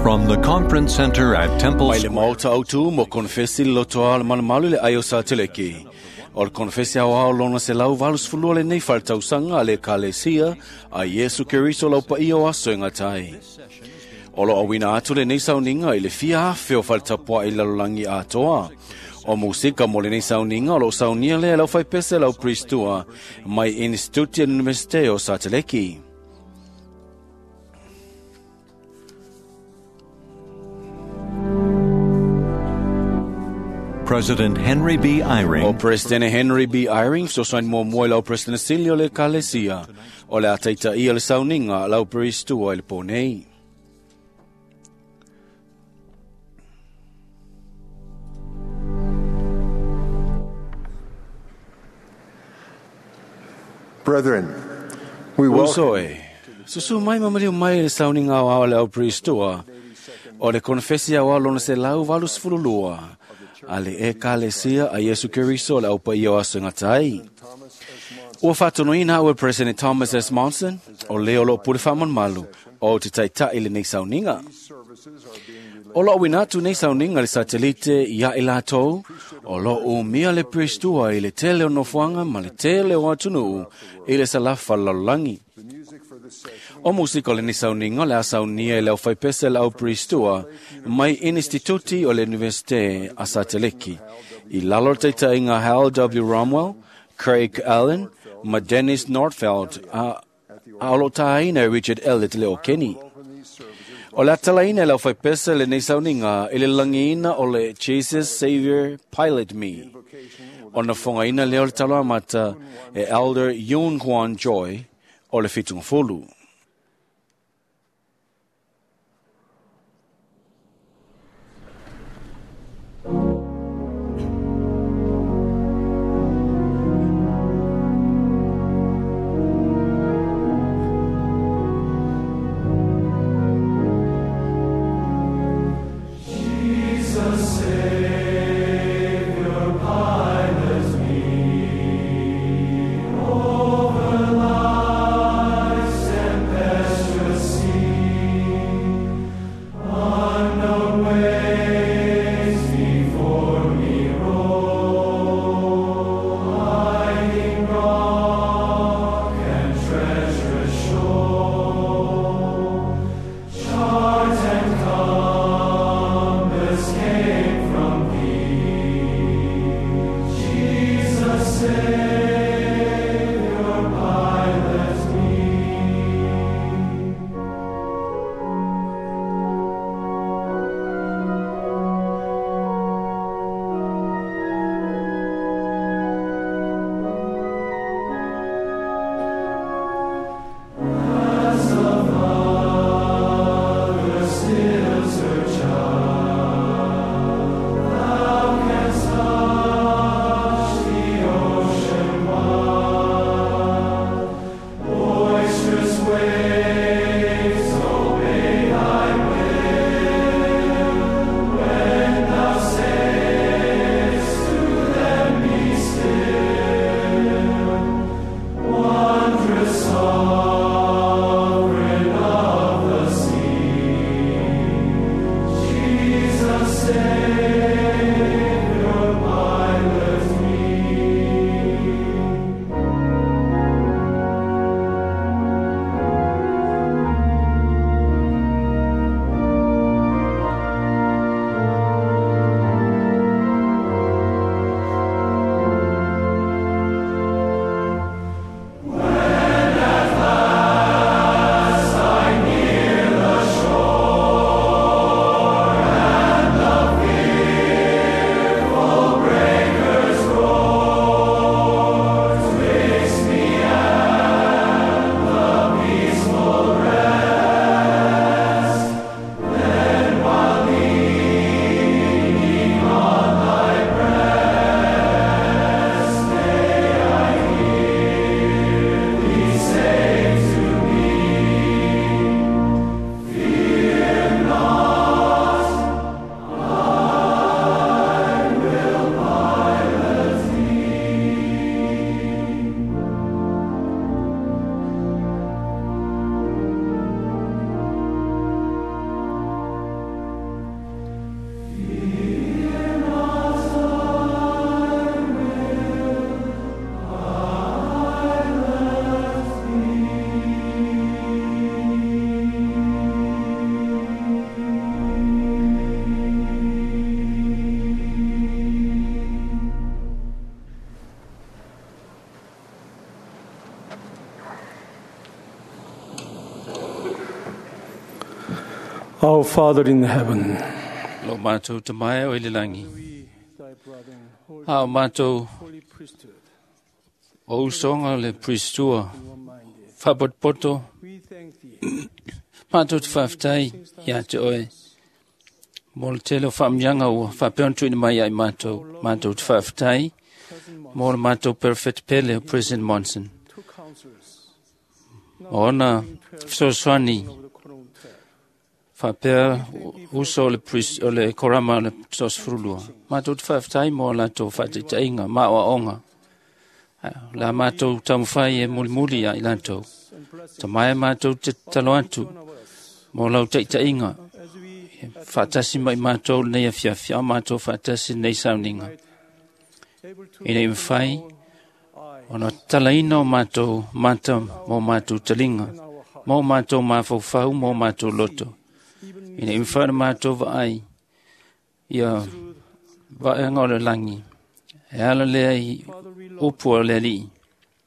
From the Conference Center at Temple Mai le maota autu mo konfesi le lotoa o le malumalu le ai o Sateleki. O le konfesi au ao lona se lau valus fulua le nei faletausanga a le Ekalesia a Iesu Keriso lau paia o aso e gatai. O lo auina atu lenei sauniga i le fia afe o faletapuaʻi lalolagi atoa. O musika mo lenei sauniga o loo saunia lea e lau faipese lau Pristua mai Instituti a le Universite o Sateleki. President Henry B. O Eyring President Henry B. Eyring fesoasoani muamua i lau President sili o le Ekalesia o le a taitaia le sauniga a lau Pristua i le pō nei. Brethren, we welcome Uso e, susu mai ma maliu mai le sauniga o ao le au Pristua o le konfesi au ao lona se lau 82 a le Ekalesia a Iesu Keriso le au paia o aso e gatai. Ua faatonuina au e President Thomas S. Monson o lea o loo pule faamalumalu o te taitaʻi lenei sauniga. O loo auina atu nei sauniga le satelite ia i latou o loo umia le Pristua i le tele o nofoaga ma le tele o atunuu i le salafa lalolagi. O musika o lenei sauniga o le a saunia e le aufaipese le au Pristua mai Instituti o le Universite a Sateleki i lalo o le taitaiga Hal W. Romwell, Craig Allen ma Dennis Nordfeld a o loo tāina e Richard Elliot le o Kenny. O le atalaina e le aufaipese lenei sauniga i le lagiina o le Jesus Savior Pilot Me. O na fogaina lea o le talo amata e Elder Yoon Kwan Joy o le Fitugafulu. Over life's Our Father in heaven, Lo mātou te mai o i le langi. we, thy brethren, holy, A o mātou holy priesthood, o usonga le priestua, one-minded, whapotopoto, we thank thee mātou te whawhitai ia te oe. Mō le tele o whaamyanga ua, whapeon tuina mai ai mātou, mātou te whawhitai, President mō le mātou perfect pele o President Monson. two counselors, O ona fesoasoani of the Quorum 12. whapea uso o le, priest, o le korama o le tosfurulua. Mātou te whawhitai mō lātou whaataitainga, mā o aonga. La mātou taumawhai e mulimuli ia i lātou. And blessing Ta mai mātou te talo atu one of us mō lau taitainga. as we Whaatasi mai mātou nei a fiafia, mātou whaatasi nei sauninga. able to I nei mwhai, eye ona talaina o mātou mata mō mātou talinga, in our heart, mō mātou māwhauwhau, mō mātou loto. even I nei mwhai na mātou vaai, ia through vaenga o le langi. E ala lea i Father, we love, upu o le alii.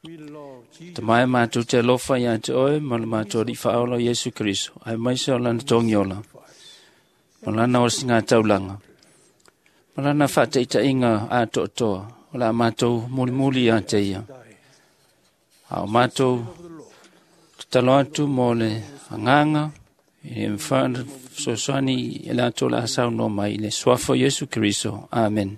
we love Jesus. Te mai mātou te alofa ia te oe, ma le mātou ri whaola o Yesu Kristo. Ai mai se o lana tongi ola. Ma lana o singa taulanga. Ma lana whataitainga a toa. O la mātou mulimuli ia te ia. A o mātou te talo atu mō le anganga, i e mwhana sosoani e lātou la asau no mai, i le suafa o Yesu Kristo. Amen.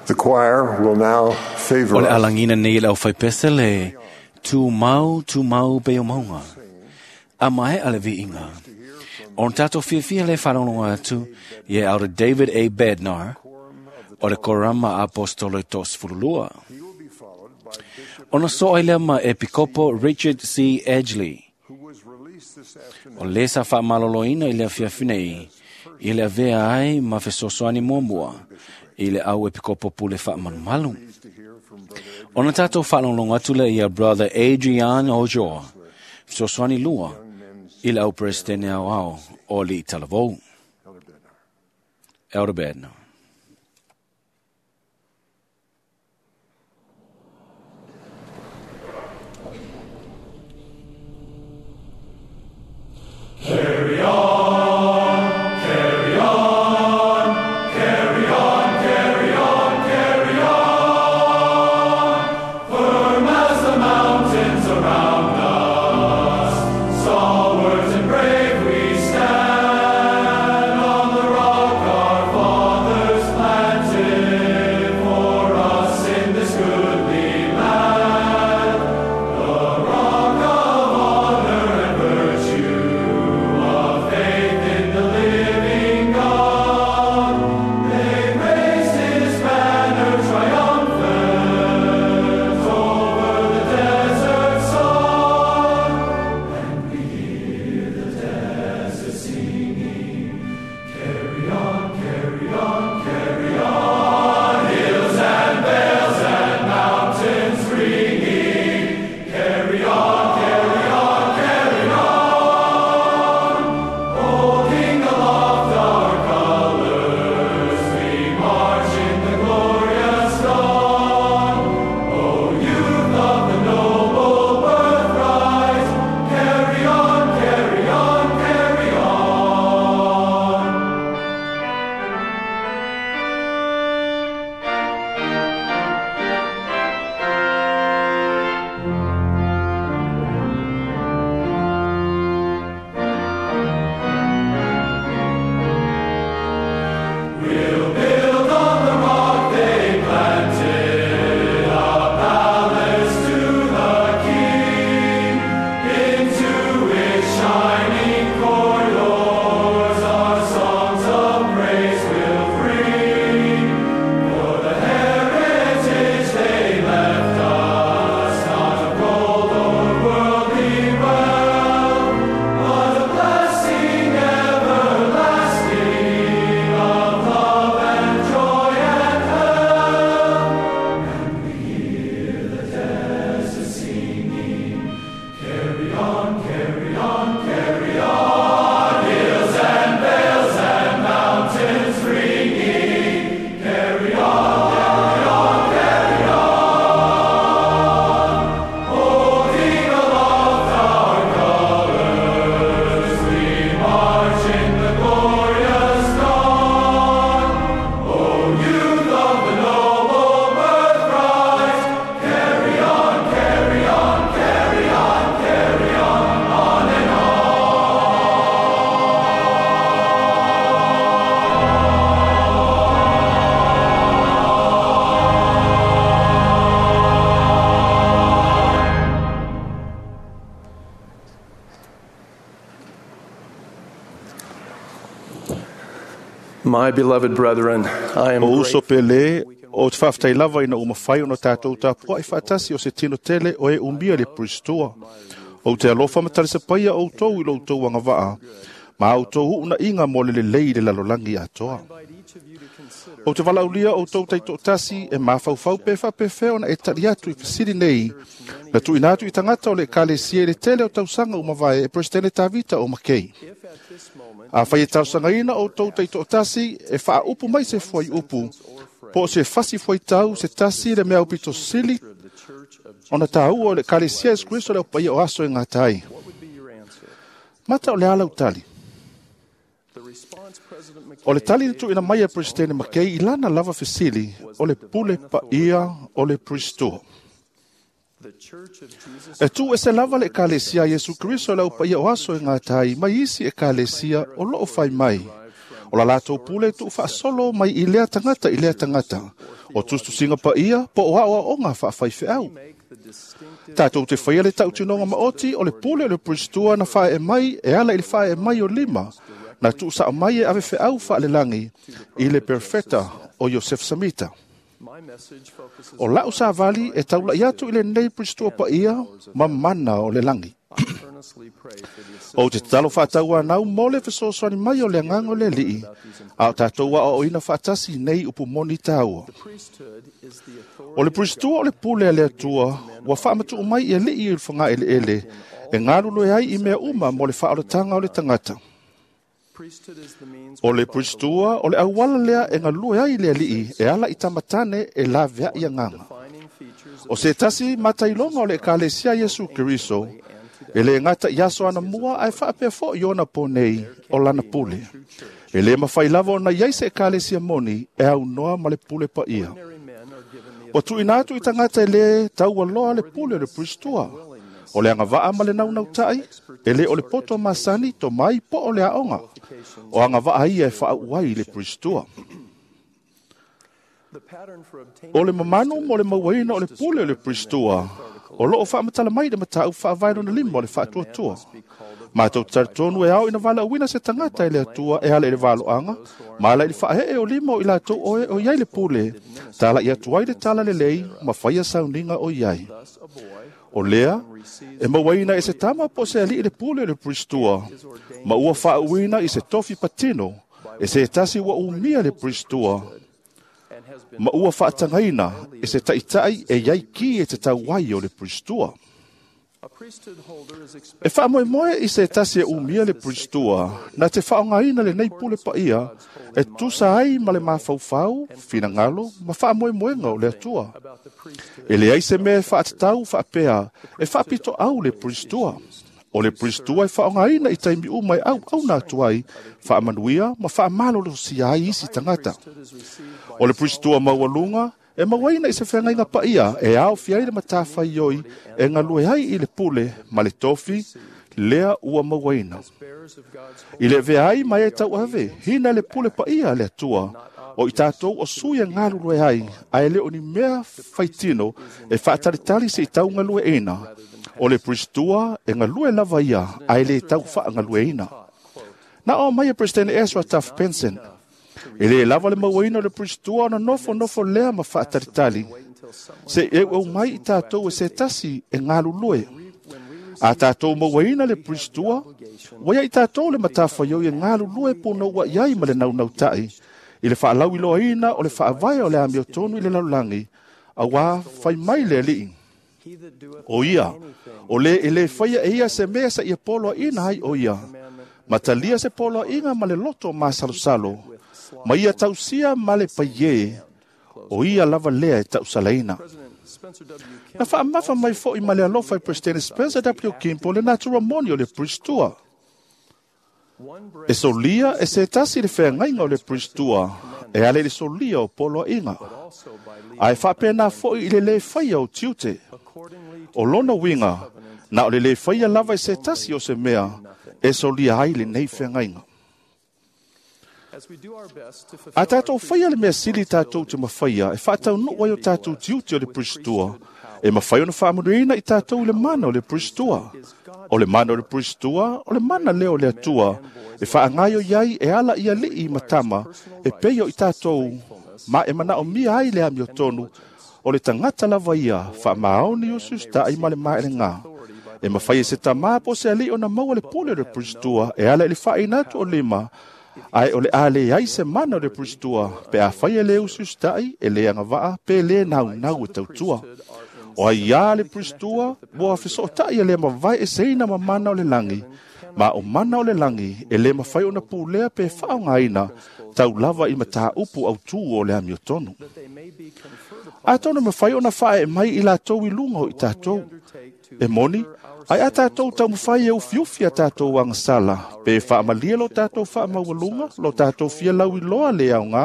The choir will now favor O le us alangina nei le au whaipese le tū mau, tū mau pe o maunga. A mai a le viinga. O tātou fiafia le wharongo atu i e aura David A. Bednar o le korama apostolo tos furulua. He will be followed by Bishop Ona so ai lea ma Epikopo Richard C. Edgley. who was released this afternoon. O le sa whaamaloloina i lea fiafina i, i le avea ai ma fesoasoani muamua, i le au epikopo pule whaamalumalu. Pleased to hear from Brother Adrian Ona tātou whaalonglongo atu le ia Brother Adrian Ojoa, fesoasoani lua, i le au presidente au ao o li talavou. Elder Bednar. Elder Bednar. Stalwart and brave we stand on the rock our Father. My beloved brethren, I am O uso grateful pele o te whawhtai lava ina umawhai o no tātou tāpua i whaatasi o se tino tele o e umbia le Pristua. O te alofa matarisa paia o tau i lo tau anga waa, ma au tau huuna inga mo le lelei le lalolangi atoa. O te walaulia o tau taito tasi e mawhauwhau pe whapewhe ona e tari atu i whasiri nei. Na tuina atu i tangata o le kalesia i le tele o tausanga umavae e Presidente Tavita o Makei. A whai e tausanga ina o tau taito tasi e whaaupu mai se fwai upu. Po se fasi fwai tau se tasi le mea upito sili ona tāua o le kalesia e Kristo le o paia o aso e ngā tai. Mata o le ala utali. O le tali tu ina mai e Presidente McKay i lana lava fesili o le pule paia o le Pristo. E tu e se lava le ekalesia Yesu Kristo le au paia o aso e ngā tai mai isi ekalesia o loo whai mai. O la latou pule tu whaasolo mai i lea tangata i lea tangata. O tustusinga paia po o ao o ngā whaawhai wheau. Tātou te whaia le tautinonga maoti o le pule o le Pristua na whae e mai e ala i le whae e mai o lima. Na tuu sa mai e ave wheau whaalelangi i le perfeta o Yosef Samita. O lau sa vali e taula i atu i le nei Pristua paia ma mana o le langi. O te talo whaataua nau mo le fesoasoani mai o le anganga o le lii, a o tātou a o ina whaatasi nei upu moni tāua. O le Pristua o le pule a le atua, ua whaamatu mai i a lii i le whanga ele ele, e ngālulu e ai i mea uma mo le whaoratanga o le tangata. O le Pristua o le awala lea e ngalue ai le alii e ala i tamatane e la vea i anganga. O se tasi matailonga o le ekalesia Yesu Kristo, e le ngata i aso ana mua ai whaapea fo i ona po nei o lana pule. E le mawhai lava o na iai se ekalesia moni e au noa ma le pule pa ia. O tuina atu i tangata e le taua loa le pule o le Pristua. O le anga waa ma le naunau tai, e le o le poto masani to mai po o le aonga. O anga waa ia e whaauai i le Pristua. O le mamanu mo le mauaina o le pule o le Pristua, o loo whaamatala mai le matau whaavaino na lima o le whaatuatua. Mātou taritonu e ao ina wala uina se tangata e le atua e ala i le valoanga, ma ala i le whaahee o lima o i lātou oe o iai le pule, tāla i atu ai le tala le lei, ma whaia sauninga o iai. O lea, e mauaina e se tama po se ali i le pule o le Pristua, ma ua whaauina i se tofi patino, e se tasi ua umia le Pristua, ma ua whaatangaina e se taitai e iai ki e te tauai o le Pristua. E whaamoemoe i se tasi e umia le Pristua, na te whaongaina le nei pule paia, e tusa ai ma le mawhauwhau, whinangalo, ma whaamoemoenga o le atua. E le ai se mea e whaatatau whaapea, e whaapito au le Pristua. O le Pristua e whaongaina i taimi uma e au au nā tuai, whaamanuia ma whaamalolosia ai isi tangata. O le Pristua maualunga, e mauaina i se whangainga paia, e ao fiai le matawhai oi, e ngalue ai i le pule, ma le tofi, lea ua mauaina. I le vea ai mai e tau ave, hina le pule paia le atua, o i tātou o sui e ngalulue ai, a e leo ni mea whaitino, e whaataritari se i tau ngalue ina. O le Pristua e ngalue lava ia, a e le tau wha ngalue ina. Na o mai e President Ezra Taft Benson, e le lava le mauaina o le Pristua ona nofo nofo lea ma whaataritali. Se e au mai i tātou e se tasi e ngalulue. A tātou mauaina le Pristua, waia i tātou le matawhai e ngalulue pōna ua iai ma le naunau tai. I le whaalau i loaina o le whaavae o le amio tonu i le lalulangi, a wā whai mai le alii. O ia, o le e le whaia e ia se mea sa ia poloa ina ai o ia. Matalia se poloa inga ma le loto ma salosalo. Ma ia tausia ma le paie, o ia lava lea e tausalaina. Na whaamafa mai fo i ma le alofa i President Spencer W. Kimpo le natura moni o le Pristua. E solia e se tasi le whangainga o le Pristua, e ale le solia o poloa inga. A e whapena fo i le le whaia o tiute. O lona winga, na o le le whaia lava e se tasi o se mea, e solia ai le nei whangainga. A tātou whaia le mea sili tātou te mawhaia, e whaatau nua i o tātou tiute o le Pristua, E mafai ona faamanuiaina i tatou i le mana o le Pristua. O le mana o le Pristua, o le mana lea o le Atua, e faagaoioi ai e ala i alii ma tama, e pei o i tatou, ma e manaomia ai le amiotonu, o le tagata lava ia, faamaoni usiusita'i ma le maelega. E mafai e se tamā po o se alii ona maua le pule o le Pristua e ala i le faaina atu o lima, ae o le a leai se mana o le Pristua pe afai e lē usiusita'i, e lē agavaa pe lē naunau e tautua. O aiā le Pristua ua fesootai e lē mavae eseina ma mana o le lagi, ma o mana o le lagi e lē mafai ona pulea pe faaaogaina tau lava i mataupu autū o le amiotonu. Atonu e mafai ona faaee mai i latou i luga o i tatou. E moni, ae a tatou taumafai e ufiufi a tatou agasala, pe faamalie lo tatou faamaualuga, lo tatou fia lauiloa le aogā,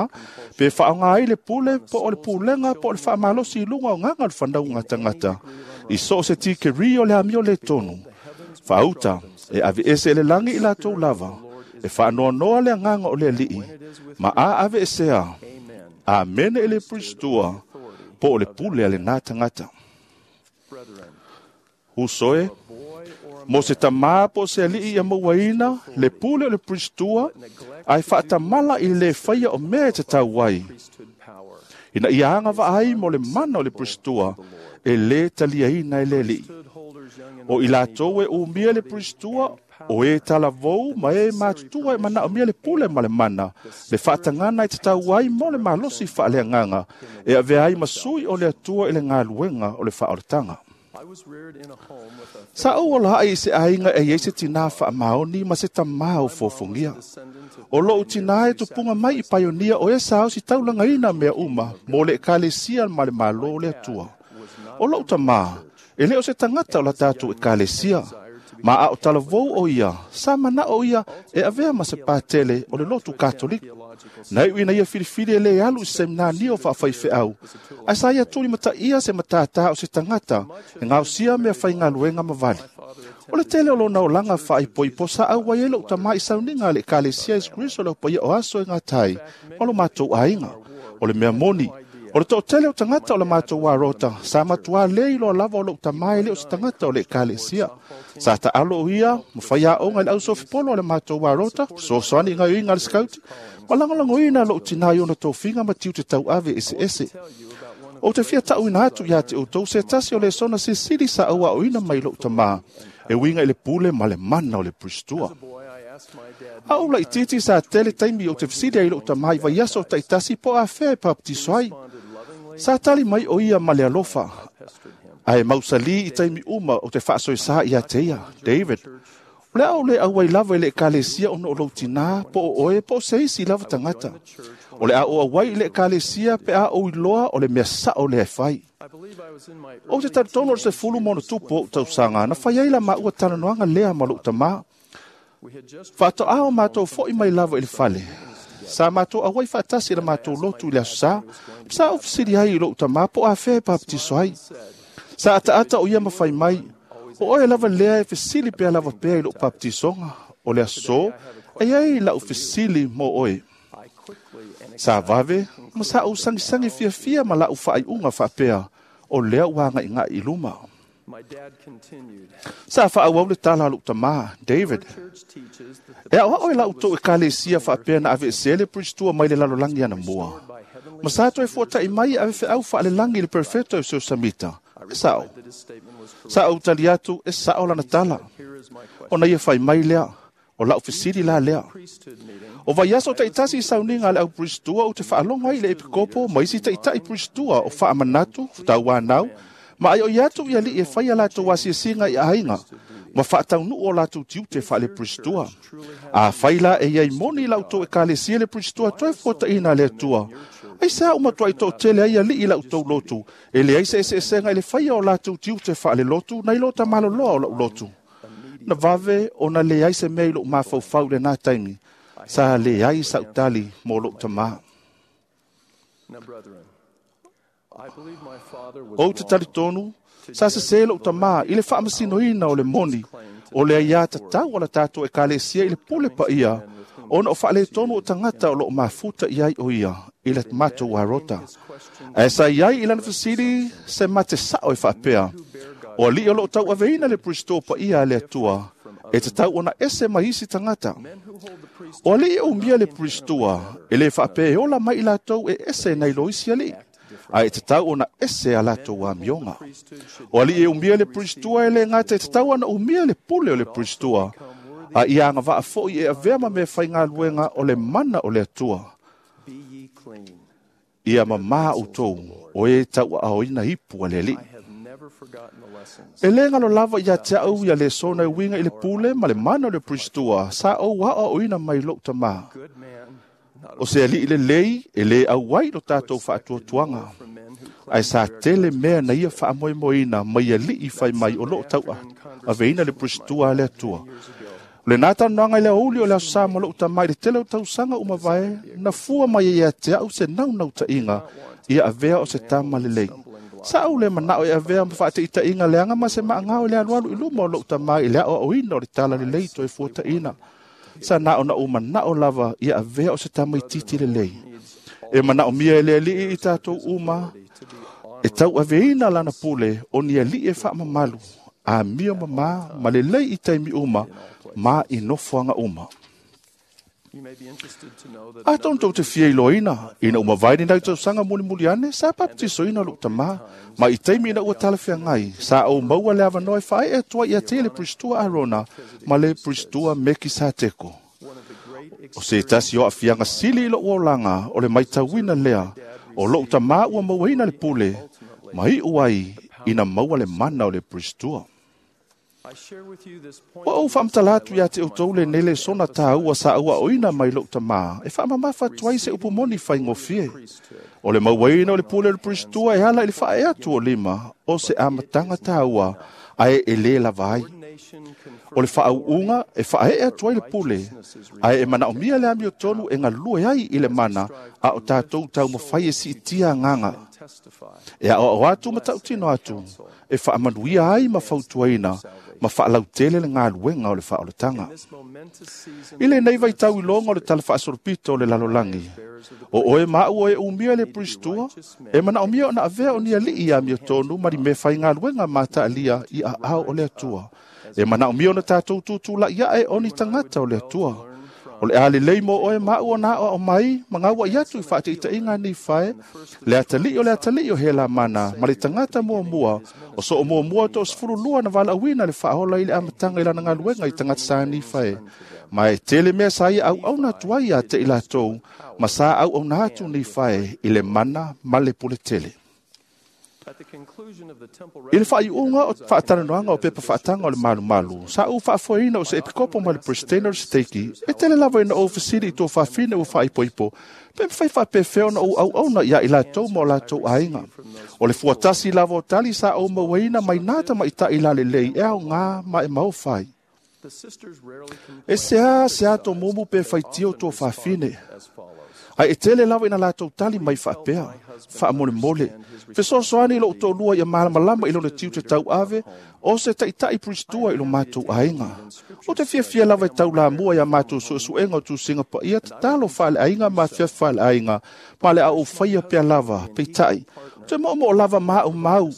pe faaaoga ai le pule po o le pulega po o le faamalosi i luga o gaga o le fanauga a tagata, i so o se tikeri o le amio le tonu. Faauta, e aveese e le lagi i latou lava, e faanoanoa le agaga o le alii, ma a aveesea, amene e le Pristua, po o le pule a lenā tagata. Uso e, mo se tamā po o se alii ia mauaina, le pule o le Pristua, ae faatamala i le lē faia o mea e tatau ai. Ina ia agavaa ai mo le mana o le Pristua, e lē taliaina e le alii. O i latou e umia le Pristua, o e talavou ma e matutua e manaomia le pule ma le mana, le faatagana e tatau ai mo le malosi faaleagaga, e avea ai ma sui o le Atua i le galuega o le faaolataga. Sa ou olaai i se aiga e iai se tinā faamaoni ma se tamā o fofogia. O lou tinā e tupuga mai i paionia o e sa ositaulagaina mea uma mo le ekalesia ma le Malo o le Atua. O lou tamā, e lē o se tagata o la tatou ekalesia, ma a o talavou o ia, sa manao ia e avea ma se patele o le lotu Katoliko. Na iu ina ia filifili e lē alu i se seminani o faafaifeau, ae sa ia tulimataia se matātā o se tagata e gaosia mea faigaluega ma vali. O le tele o lona olaga faaipoipo sa auai ai lou tamā i sauniga a le ekalesia Iesu Keriso le aupaia o aso e gatai ma lo matou aiga. O le mea moni, o le toatele o tagata o la matou arota, sa matuā lē iloa lava o lou tamā e lē o se tagata o le ekalesia. Sa taalo o ia, ma faiaoga i le ausofipolo o le matou arota, fesoasoani i gaoioiga a le sikauti, ma lagolagoina lou tinā i ona tofiga ma tiute tauave eseese. Ou te fia taʻuina atu iā te outou se tasi o lesona silisili sa auaoina mai lou tamā, e uiga i le pule ma le mana o le Pristua. A ou laitiiti sa tele taimi ou te fesili ai i lou tamā i vaiaso taitasi po o afea e papatiso ai. Sa tali mai o ia ma le alofa, ae mausalī i taimi uma ou te faasoesā iā te ia, David, o le a ou lē auai lava i le ekalesia ona o lou tinā, po o oe, po o se isi lava tagata. O le a ou auai i le ekalesia pe a ou iloa o le mea sao lea e fai. Ou te talitonu o le 10 ma ono tupu ou tausaga, na fai ai la maua talanoaga lea ma lou tamā. Faatoā o matou foʻi mai lava i le fale. Sa matou auai faatasi i la matou lotu i le aso sā, ma sa ou fesili ai i lou tamā po o afea e papatiso ai. Sa ataata o ia ma fai mai, o oe lava lea e fesili pea lava pea i lou papatisoga, o le aso, e iai lau fesili mo oe. Sa vave, ma sa ou sagisagi fiafia ma laʻu faaiuga faapea, o lea ua agaigaʻi i luma. Sa faaauau le tala a lou tamā, David, e aʻoaʻo e la outou ekalesia faapea na aveesea le Pristua mai le lalolagi anamua. Ma sa toe fuataʻi mai e ave feʻau faalelagi i le perfeto e Seusamita. E saʻo. Sa ou tali atu e saʻo lana tala. Ona ia fai mai lea, o lau fesili la lea. O vaiaso taitasi i sauniga a le au Pristua ou te faalogo ai i le epikopo ma isi taʻitaʻi Pristua o faamanatu, tauanau, ma aioʻi atu i alii e fai a latou asiasiga i aiga, ma faataunuu o latou tiute faale-Pristua. Afai la e iai moni i la outou ekalesia le Pristua toe fuataʻina a le Atua, aisea ua matuai toatele ai alii i la outou lotu, e leai se eseesega i le faia o latou tiute faalelotu nai lo tamaloloa o la'u lotu. Na vave ona leai se mea i loʻu mafaufau i lenā taimi, sa leai saʻu tali mo loʻu tamā. Ou te talitonu, sa sesē loʻu tamā i le faamasinoina o le moni, o le aiā tatau a la tatou ekalesia i le pule paia, ona o faaletonu o tagata o loo mafuta i ai o ia, i i le matou arota. Ae sa iai i lana fesili se mate sa'o e faapea, o ali'i o lo'o tau'aveina le Pristo pa'ia a le Atua, e tatau ona ese mai isi tagata. O ali'i e umia le Pristoa, e lē faapea e ola mai i latou e ese nai lo isi ali'i, ae e tatau ona ese a latou amioga. O ali'i e umia le Pristoa e lē gata e tatau ona umia le pule o le Pristoa, a ia agava'a fo'i e avea ma mea faigaluega o le mana o le Atua. Ia mamā outou o e tau'aaoina ipu a le Ali'i. E lē galo lava ia te a'u ia lesona e uiga i le pule ma le mana o le Pristoa sa ou aoaoina mai lo'u tamā. O se ali'i lelei e lē auai lo tatou fa'atuatuaga, ae sa tele mea na ia fa'amoemoeina mai ali'i fai mai o lo'o tau'aveina le Pristoa a le Atua. O lenā talanoaga i le aoauli o le aso sa ma lo'u tamā i le tele o tausaga uma vae, na fua mai ai ia te a'u se naunauta'iga ia avea o se tama lelei. Sa ou le mana'o e avea ma fa'ataʻitaʻiga leaga ma se maʻagao i le alualu i luma o lo'u tamā i le aʻoaʻoina o le tala lelei toe fuataʻina. Sa na ona ou mana'o lava ia avea o se tamaititi lelei. E manaʻomia e le Ali'i i tatou uma e tau'aveina lana pule o ni ali'i e fa'amamalu, amio mamā ma lelei i taimi uma ma i nofoaga uma. Atonu tou te fia iloaina, ina ua mavae ni nai tausaga mulimuli ane, sa papatisoina lo'u tamā, ma i taimi ina ua talafeagai, sa ou maua le avanoa e fa'ae'e atu ai ia te le Pristua Arona ma le Pristua Mekisateko. O se tasi o a'afiaga sili i lo'u olaga o le maitauina lea, o lo'u tamā ua mauaina le pule, ma i'u ai ina maua le mana o le Pristua. Ua ou faamatala atu iā te outou lenei lesona tāua sa auaʻoina mai lo'u tamā, e faamamafa atu ai se upu moni faigofie. O le mauaina o le pule o le Pristua e ala i le fa'ae atu o lima, o se amataga tāua, ae e lē lava ai. O le fa'au'uga e fa'ae'e atu ai le pule, ae e manaʻomia le amiotonu e galue ai i le mana, a o tatou taumafai e si'itia agaga. E aʻoaʻo atu ma ta'utino atu, e fa'amanuia ai ma fautuaina, ma fa'alautele le galuega o le fa'aolataga. I lenei vaitau iloga o le tala fa'asolopito o le lalolagi, o oe ma a'u o e umia le Pristua, e manaʻomia ona avea o ni ali'i ia amiotonu ma ni mea faigaluega mata'alia i aao o le Atua. E manaʻomia ona tatou tutula'i a'e o ni tagata o le Atua. O le a lelei mo oe ma a'u ona aʻoaʻo mai ma gauaʻi atu i fa'ataʻitaʻiga nei fae, le atali'i o le atali'i o Helamana ma le tagata muamua, o so'o muamua 12 na valaauina le fa'aola i le amataga i lana galuega i tagata sa Nifae. Ma e tele mea sa ia auauna atu ai ia te i latou, ma sa auauna atu Nifae i le mana ma le puletele. I le fa'aiuga o fa'atalanoaga o pepa fa'ataga o le malumalu, sa ou fa'afoeina o se epikopo ma le Presidente o le Seteiki, e tele lava ina ou fesili i tuafafine ua fa'aipoipo, pe mafai fa'apefea ona ou auauna iā i latou ma o latou aiga. O le fuatasi lava o tali sa ou mauaina mai nā tamaʻitaʻi lalelei e aogā ma e maofa ai. E seā seā tomumu pe faitio tuafafine, ae e tele lava ina latou tali mai fa'apea, fa'amolemole, fesoasoani i lo'u to'alua ia malamalama i lona tiute tau'ave, o se ta'ita'i Pristua i lo matou aiga. O te fiafia lava e taulamua iā matou su'esu'ega o tusiga pa'ia tatalo fa'ale'aiga ma afiafi fa'ale'aiga, ma le a ou faia pea lava, peita'i. O te mo'omo'o lava ma a'u mau,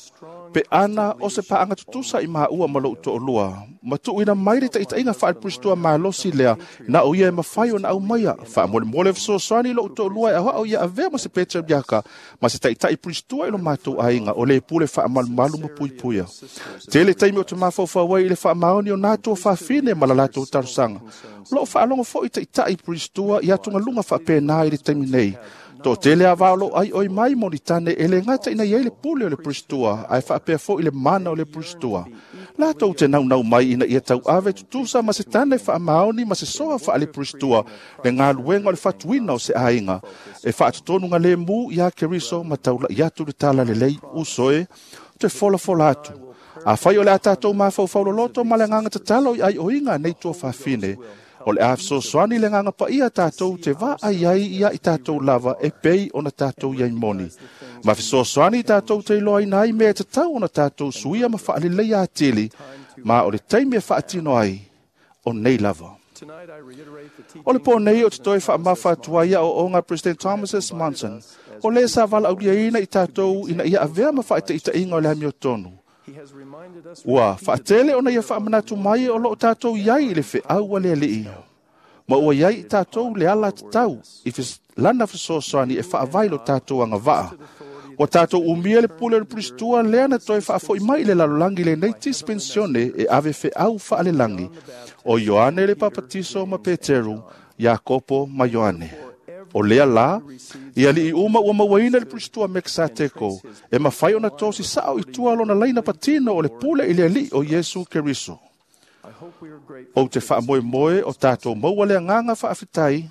pe ana o se pa'aga tutusa i maua ma lo'u to'alua, ma tu'uina mai le ta'ita'iga fa'ale-Pristua malosi lea, na o ia e mafai ona aumaia. Fa'amolemole fesoasoani i lo'u to'alua e a'oa'o ia avea ma se peteriaka, ma se ta'ita'i Pristua i lo matou aiga, o lē pule fa'amalumalu ma puipuia. Tele taimi o te mafaufau ai i le fa'amaoni o nā tuafafine ma la latou talosaga. O lo'o fa'alogo fo'i ta'ita'i Pristua i atugaluga fa'apēnā i le taimi nei. To'atele avā o lo'o ai'oi mai mo ni tane e lē gata ina iai le pule o le Pristua, ae fa'apea fo'i le mana o le Pristua. Latou te naunau mai ina ia tau'ave tutusa ma se tane fa'amaoni ma se soa fa'ale-Pristua le galuega o le fatuina o se aiga, e fa'atotonuga lēmū iā Keriso ma taula'i atu le tala lelei uso e, te folafola atu. Afai o le a tatou mafaufau loloto ma le agaga tatalo i ai'oiga nei tuafafine, o le a fesoasoani le agaga pa'ia tatou te vaai ai ia i tatou lava e pei ona tatou iai moni. Ma fesoasoani tatou te iloaina ai mea e tatau ona tatou suia ma fa'aleleia atili, ma o le taimi e fa'atino ai, o nei lava. O le pō nei o te toe whaamafa atua ia o onga President Thomas S. Monson, o le sa vala aulia ina i tātou ina ia avea ma whaitaitainga o le amio tonu. Ua whaatele ona ia whaamanatu mai o loo tātou iai i le wheau a le alii. Ma ua iai i tātou le ala tatau i lana fesoasoani e whaavai lo tātou anga vaa. Ua tātou umia le pule o le pulistua lea na toe whaafoi mai le lalolangi le nei dispensione e ave wheau whaalelangi o Ioane le Papatiso ma Peteru, Iakopo ma Ioane. O lea la, ia li i uma ua mauaina le pulistua Meksateko, e mawhai ona tōsi sao i tua lona laina patino o le pule i le alii o Yesu Keriso. O te whaamoe moe o tātou maua le anganga whaafitai,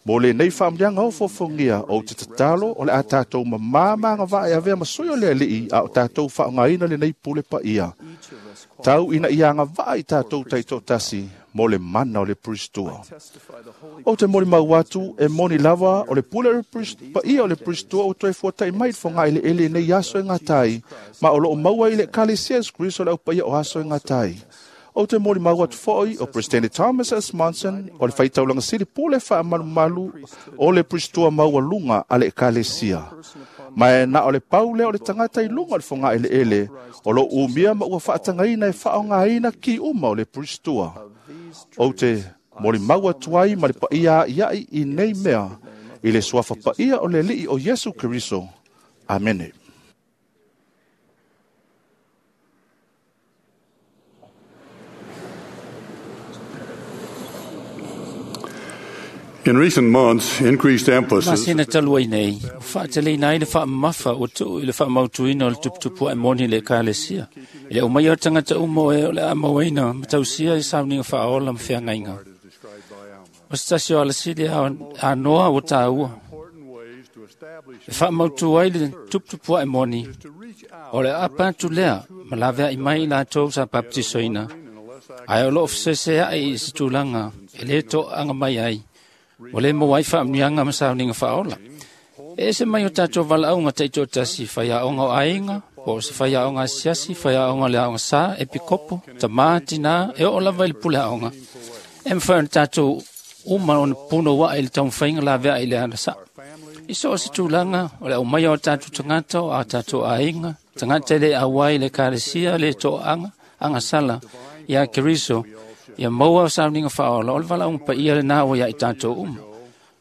Mo le nei whaamlianga o fofongia o te tatalo o le a tātou mamāmanga vae avea masui o le alii a o tātou whaongaina le nei pule pa ia. Tau ina ianga vae i tātou taito tasi mo le mana o le puristua. O te mori mau atu e moni lava o le pule o le pa ia o le puristua o toe fuatai mai whonga i le ele nei aso e ngā tai, ma o loo maua i le kalesia Yesu Kristo le au pa ia o aso e ngā tai. O te mori mau atu foi o President Thomas S. Monson o le whaitaulanga sili pule wha malu o le puristua maua lunga a le ekalesia. Ma e na o le paule o le tangata i lunga o le whonga ele ele o lo umia ma ua whaatangaina e whaongaina ki uma o le puristua. O te mori mau atu ai ma le paia iai i nei mea i le suafa paia o le lii o Yesu Keriso. Amene. In recent months, increased emphasis Masina talua i nei, o whaateleina ai le whaamafa o tuu i le whaamautuina o le tuputupu ai moni le ekalesia. I le o mai o tangata umo e o le amauaina matausia i sauninga whaola ma whiangainga. O se tasi o alasili a noa o tāua. E whaamautu ai le tuputupu ai moni, o le apa atu lea, ma lavea i mai i lātou sa baptisoina. Ai o loo whasese ai i se tūlanga, e le to anga mai ai. O le mo ai whaamnianga ma sauninga whaola. E se mai o tātou valaunga teito tasi whaiaonga o ainga, po o se whaiaonga asiasi, whaiaonga le aonga sa, epikopo, tamā, tina, e o lava i le pule aonga. E mwhai o tātou uma o puno wa i le taumwhainga la vea i le ana sa. I so o se tūlanga, o le au mai o tātou tangata, o a tātou ainga, tangata le awai le kalesia, le toanga, anga sala, ia Keriso, ia maua o sauninga whaola, o le valaunga pa ia le nā o ia i tātou uma.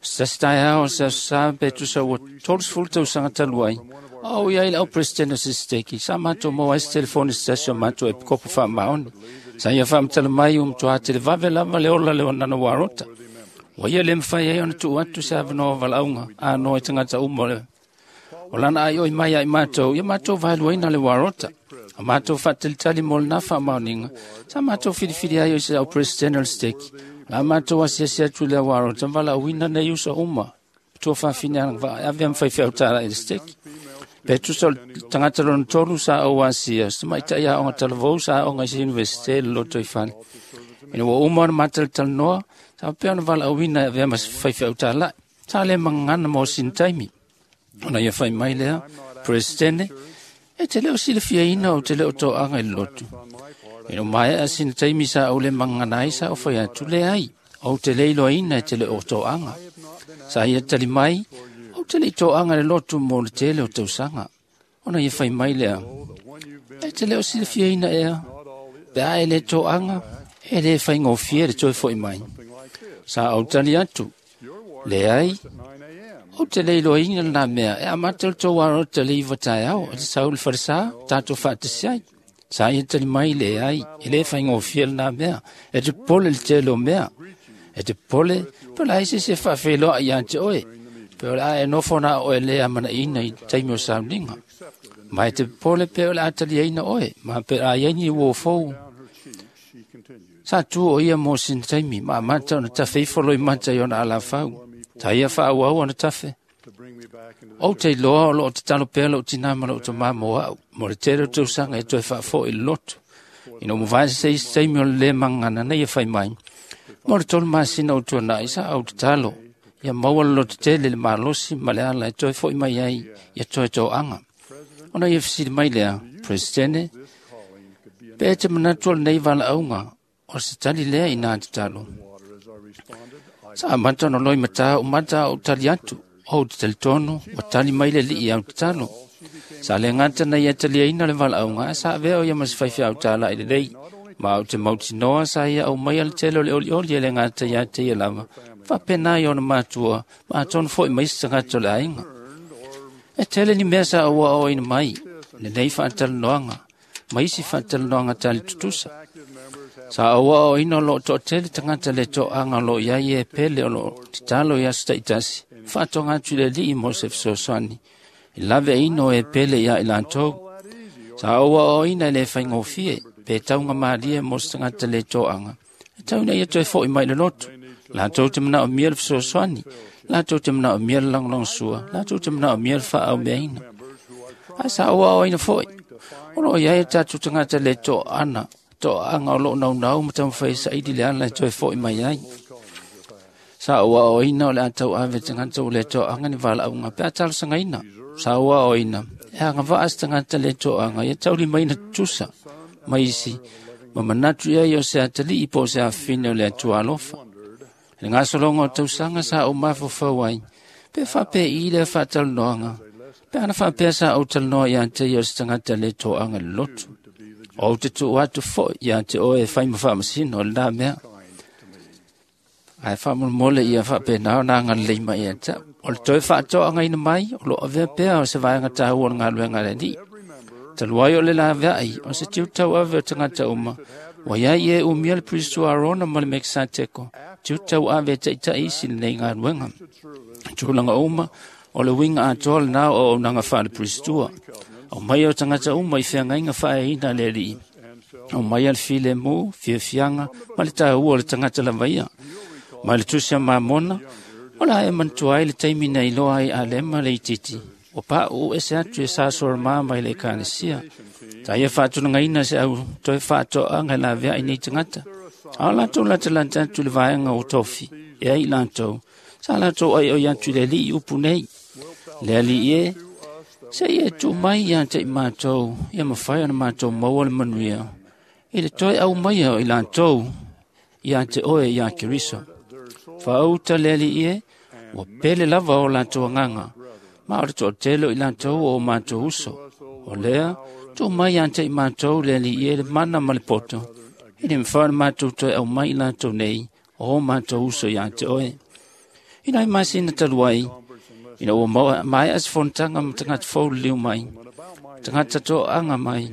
Sa tai ao sa sa pe tu sa ua 30 tausaga talu ai. O ia i le au president o se steki. Sa mātou mo ai se telefoni se tasi o mātou e kopo whaamaoni. Sa ia whaamatala mai o mtua te le vave lava le ola le o nana warota. Wa ia le mwhai ai ona tuu atu se awanoa valaunga a noa i tangata uma le. O lana ai oi mai ai mātou, ia mātou vaeluaina le warota. A mātou whaatalitali mo le nā whaamaoninga. Sa mātou whiriwhiri ai o se au president o le steki. La mātou asiasi atu le warota, wala uina nei usa uma. Tua whawhine ana wa ave am whaiwhau tāra i le steki. Pe tusa o tangata lona tolu sa au asia, sa maitai a onga talavou sa onga i se universite le loto i whale. Ina ua uma ona mātalitali noa, sa pea ona wala uina ave ama whaiwhau tāra. Sa le mangana mo sin taimi. Ona ia whai mai lea, presidente, e te leo sila fiaina o te leo toanga i le lotu. Ina mai a sina taimi sa au le mangana ai sa o whai atu le ai. O te leilo ina e te leo toanga. Sa ia tali mai, o te lei toanga le lotu mo le tele o tausanga. Ona ia whai mai lea. E te leo sila fiaina ea. Pe a e le toanga, e le whai ngōfia le toi foi mai. Sa au tali atu. Le ai, o te leilo ina le nā mea, e amata le tō waro te le iwa tai au, o te saul wharesa, tātou whaatasi ai. Sa ia tali mai le ai, e le whai ngōfia le nā mea, e te pole le te lo mea, e te pole, pe la ese se whawheloa i ante oe, pe o la e nofo nā oe le amana ina i taimi o sauninga. Mai te pole pe o la atali aina oe, ma pe a iaini uo fou. Sa tu o ia mō sin taimi, ma mata ona tawhe i foloi mata i ona ala whau. Ta ia wha au ona tawhe. O te loa o loo te talo pea loo tina ma loo te mamo au. Mo le tere o tausanga e toe whaafo i lotu. Ina mo vae se isi taimi o le mangana nei e whai mai. Mo le tolu masina o tuana i sa au te talo. Ia maua le lotu tele le malosi ma le ala e toe foi mai ai ia toe tō anga. Ona ia fisili mai lea, Presidente, pe e te manatu o le nei wala aunga, o se tali lea i nā te talo. Sa amata ona loimatā umata o tali atu, o te talitonu, o tali mai le lii au tatalo. Sa le gata na ia taliaina le valaauga, ae sa avea o ia ma se faifeau tāla'i lelei. Ma ou te mautinoa sa ia aumaia le tele o le olioli e le gata ia te ia lava, faapena i ona matua, ma atonu foi ma isi tagata o le aiga. E tele ni mea sa ou aoaoina mai, lenei faatalanoaga, ma isi faatalanoaga tali tutusa. Sa ou aoaoina o loo toatele tagata le toaga o loo i ai e pele o loo tatalo i aso taitasi, faatoga atu i le Alii mo se fesoasoani, i laveaina o e pele ia i latou. Sa ou aoaoina e le faigofie, pe taugamalie mo se tagata le toaga, e tau ina ia toe foi mai i le lotu. Latou te manaomia le fesoasoani, latou te manaomia le lagolagosua, latou te manaomia le faaaumeaina. Ae sa ou aoaoina foi, o loo i ai o tatou tagata le toaga o loo naunau ma taumafai e saili le ala e toe foi mai ai. Sa ou aoaoina o le a tauave tagata ua le toaga ni valaauga pe a talosagaina. Sa ou aoaoina e agavaa se tagata le toaga ia taulimaina tutusa ma isi ma manatu i ai o se atalii po o se afafine o le Atua alofa. I le gasologa o tausaga sa ou mafaufau ai, pe faapei lea faatalanoaga, pe ana faapea sa ou talanoa ia te ia o se tagata le toaga i le lotu. O ou te tuu atu foi ia te oe e fai ma faamasino o lena mea. Ae faamolemole ia faapena ona agalelei mai ia te au. O le toe faatoagaina mai, o loo avea pea o se vaega taua o le galuega a le Alii. Talu ai o le laveai, o se tiute ave o tagata uma, ua iai e umia le Priest Arona ma le Mekisateko, tiute ave e taitai isi lenei galuega. Tulaga uma, o le uiga atoa lena o auaunaga faale-Priestua. Aumaia o tagata uma i feagaiga faaeaina a le Alii. Aumaia le filemu, fiafiaga ma le taua o le tagata lava ia. Ma le tusi a Mamona, o la e manatua ai le taimi na iloa ai Alema le itiiti, ua pauu ese atu e sa soromā mai le ekalesia. Sa ia faatulagaina se au toe faatoaga e laveai nei tagata. A o latou latalata atu i le vaega o tofi, e ai i latou, sa latou aioi atu i le Alii upu nei. Le Alii e, se ia e tuu mai ia te i matou, ia mafai ona matou maua le manuia, i le toe aumaia o i latou, ia te oe ia Keriso. Faauta le Alii e, ua pele lava o latou agaga, ma o le toatele o i latou o matou uso. O lea, tuu mai ia te i matou le Alii e le mana ma le poto, i le mafai ona matou toe aumai i latou nei, o matou uso ia te oe. Ina ai masina talu ai, ina ua maea se fonotaga ma tagata fou liliu mai, tagata toaga mai,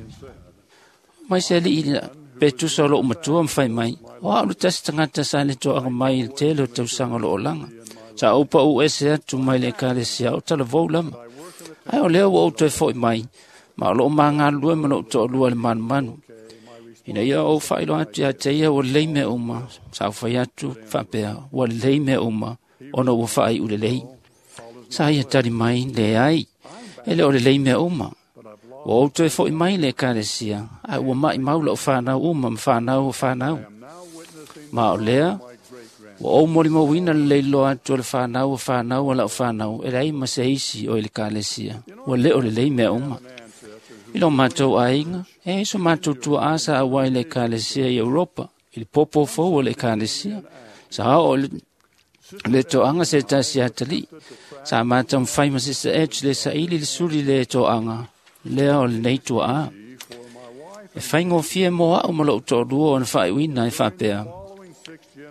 mai se alii pe tusa o loo matua ma fai mai, o au le tasi tagata sa le toaga mai i le tele o tausaga o loo olaga. Sa ou pau ese atu mai le ekalesia o talavou lama. Ae o lea ua ou toe foi mai, ma o loo magalulue ma loo toalua le manumanu. Ina ia ou faailoa atu ia te ia ua lelei mea uma, sa ou fai atu faapea, ua lelei mea uma, ona ua faaiu lelei. Sa ia tali mai, leai, e le o lelei mea uma. Ua ou toe foi mai le ekalesia, ae ua maimau lau fanau uma ma fanau o fanau. Ma o lea, ua ou molimauina le leiloa atu o le fanau o fanau o lau fanau, e leai ma se isi o i le ekalesia, ua le o lelei mea uma. I lo matou aiga, e ai so matou tuaa sa auai i le ekalesia i Europa, i le popo fou o le ekalesia, sa oo le toaga se tasi atalii, sa mataumafai ma Sister Edge le saili le suli le toaga, lea o lenei tuaa. E faigofie mo au ma lou toalua ona faaiuina e faapea,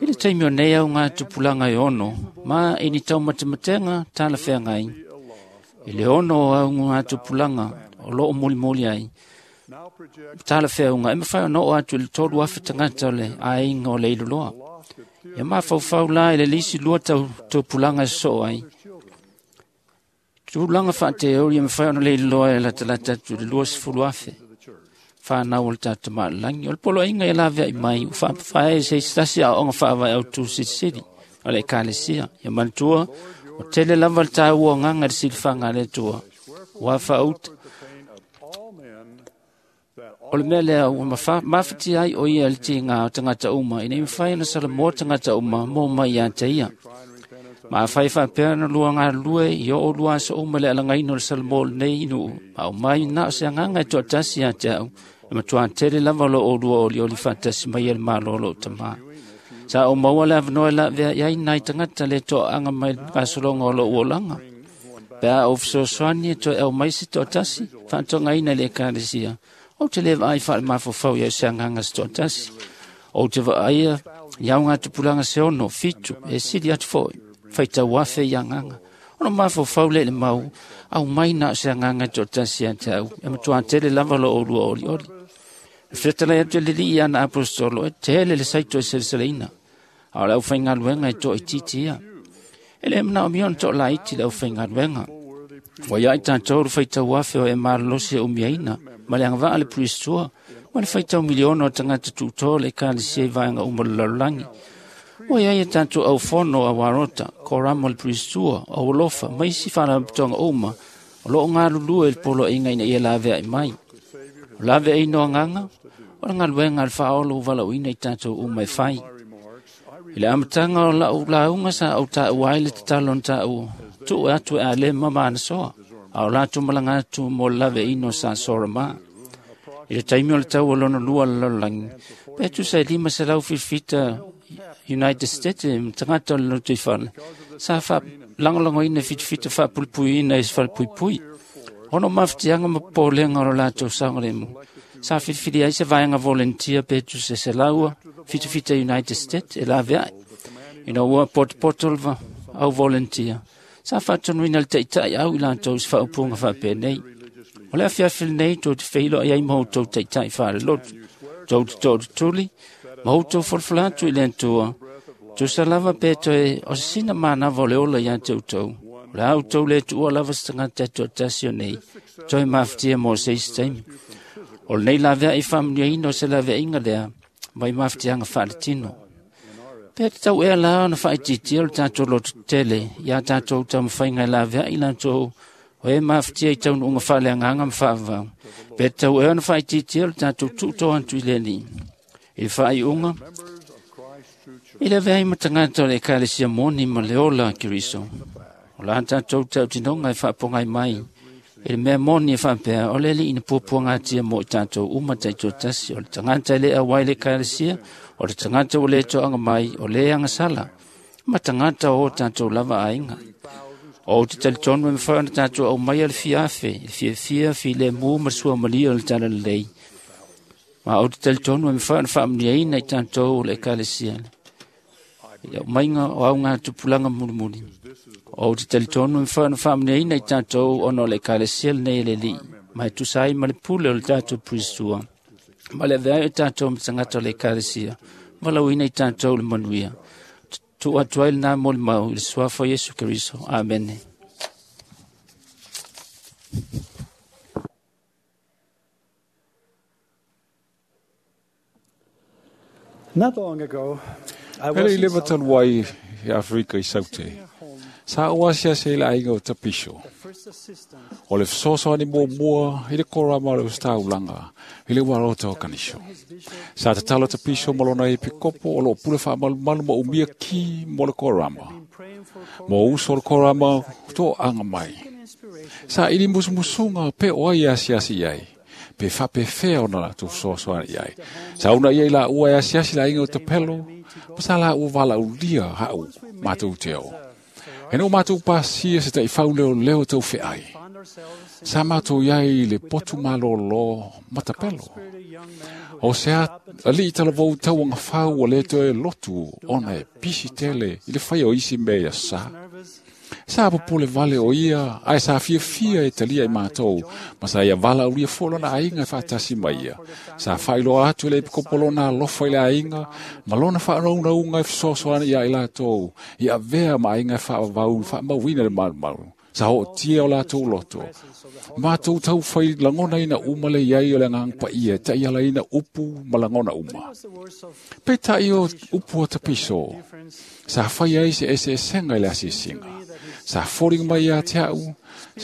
i le taimi o nei au ngā tupulaga e ono, ma i ni taumatematega talafeagai, i le ono o au ngā tupulaga o loo molimoli ai, talafeauga e mafai ona oo atu i le 3,000 tagata o le aiga o le Iloloa. Ia mafaufau la i le lisi lua tupulaga e sosoo ai. Tulaga faateori e mafai ona leiloa e latalata atu i le 20,000. Whanau o le tātou malalagi. O le poloaiga e laveai mai, ua faapafae e se isi tasi aoaoga faavae autu silisili o le ekalesia. Ia manatua, o tele lava le tāua agaga i le silifaga a le Atua. Ua faauta. O le mea lea ua mafatia ai o ia i le tiga o tagata uma, ina ia mafai ona salamoa tagata uma mo mai ia te ia. Ma afai faapea ona lua galulue i oo lua aso uma le alagaina o le salamo o lenei nuu, ma o mai na o se agaga e toatasi ia te au, e matua tele lava o loo lua olioli faatasi mai e le malo o loo tamā. Sa o maua le avanoa e lavea i ai nai tagata le toaaga mai le gasologa o lou olaga. Pe a ou fesoasoani e toe au mai se toatasi, faatoagaina i le ekalesia. Ou te le vaai faalemafaufau i ai o se agaga se toatasi. Ou te vaaia i augatupulaga se 6, 7, e sili atu foi, faitau afe i agaga. Ona mafaufau lea i le mau, au mai na o se agaga e toatasi ia te au, e matuā tele lava lo oulua olioli. E fetalai atu e le Alii i ana aposetolo, e tele le saito e seleseleina, a o le aufaigaluega e toaitiiti ia. E le manaomia ona toalaiti le aufaigaluega. Ua ia i tatou le faitau afe o e malolosi e umiaina, ma le agavaa le Puristua, ma le faitau miliona o tagata tuutoa o le ekalesia i vaega uma o le lalolagi. Ua iai a tatou aufono a Warota, Korama o le Puristua, o Alofa, ma isi faalapotopotoga uma o loo galulue i le poloaiga ina ia laveai mai. O laveaiina o agaga, o le galuega a le faaolo ua valaauina i tatou uma e fai. I le amataga o lau lauga sa ou taua ai le tatalo na taua, tuu atu e Alema ma Anasoa, a o latou malaga atu mo le laveaiina o sa Sorama. I le taimi o le tau o lona lua o le lalolagi, pe tusa e 577 United States ma tagata o le lotoifale, sa faalagolagoina fitafita faapuipuiina i se falepuipui. Ona o mafatiaga ma popolega o lo latou saogalemu, sa filifili ai se vaega volunteer pe tusa e 177 United States e laveai. Ina ua potopoto le au volunteer, sa faatonuina le taitai au i latou i se faaupuga faapenei. O le afiafi lenei tou te feiloai ai ma outou taitai faalelotu, tou te tootutuli ma outou folafola atu i le Atua, tusa lava pe toe o se sina manava o le ola ia te outou. O le a outou le tuua lava se tagata e toatasi o nei, toe mafatia mo se isi taimi. O lenei laveai faamanuiaina o se laveaiga lea, mai mafatiaga faaletino. Pe tatau ea la ona faaitiitia le tatou loto tetele ia tatou taumafaiga e laveai latou o e mafatia i taunuuga faaleagaga ma faavavau. Pe tatau ea ona faaitiitia le tatou tuutoa atu i le Alii. I le faaiuga, i le avea ai ma tagata o le ekalesia moni ma le ola a Keriso. O la tatou tautinoga e faapogai mai i le mea moni e faapea, o le Alii na puapuagatia mo i tatou uma taitoatasi, o le tagata e le auai le ekalesia, o le tagata ua le toaga mai, o le agasala, ma tagata o tatou lava aiga. O te talitonu e mafai ona tatou aumaia le fiafe, le fiafia, filemu ma le suamalia o le talalelei. Ma ou te talitonu e mafai ona faamanuiaina i tatou o le ekalesia i le aumaiga o augatupulaga mulimuli. O te talitonu e mafai ona faamanuiaina i tatou ona o le ekalesia lenei e le Alii, ma e tusa ai ma le pule o le tatou Puristua, ma le avea ai o tatou ma tagata o le ekalesia, valaauina i tatou le manuia. Tuu atu ai lena molimau i le suafa o Iesu Keriso. Amene. Not long ago, I E was le i in leva South talu ai i Afrika i Saute. Sa o asiasi i le aiga o Tapiso. the first assistant O le fesoasoani muamua i le korama o le ositaulaga i le uarota o kanisho. Sa tatalo Tapiso ma lona epikopo o loo pule faamalumalu ma umia ki mo le korama. praying for Mo uso o le korama toaga mai. inspiration Sa ili musumusuga pe o ai e asiasi i ai. Pe faapefea ona latou fesoasoani i ai. Sa una ia i laua e asiasi le aiga o Tapelo, ma sa laua valaulia hau matou te o. E no matou pasia se taifau leo leo tau feai. found ourselves in Sa matou iai i le potu malōlō ma Tapelo. a young man who O se alii talavou tauaga fau ua le toe lotu ona e pisi tele i le faia o isi mea ia sa. nervous Sa popole vale o ia, ae sa fiafia e talia i matou, ma sa ia valaaulia foi lona aiga e faatasi mai ia. Sa faailoa atu e le epikopo lona alofa i le aiga, ma lona faanaunauga e fesoasoani ia i latou, i avea ma aiga e faavavau i faamauina le malumalu. Sa hootia o latou loto. Matou taufai lagonaina uma le iai o le agaga paia e taialaina upu ma lagona uma. was the words of Peitai o upu o Tapiso, sa fai ai se eseesega i le asiasiga. Sa foliga mai ia te au,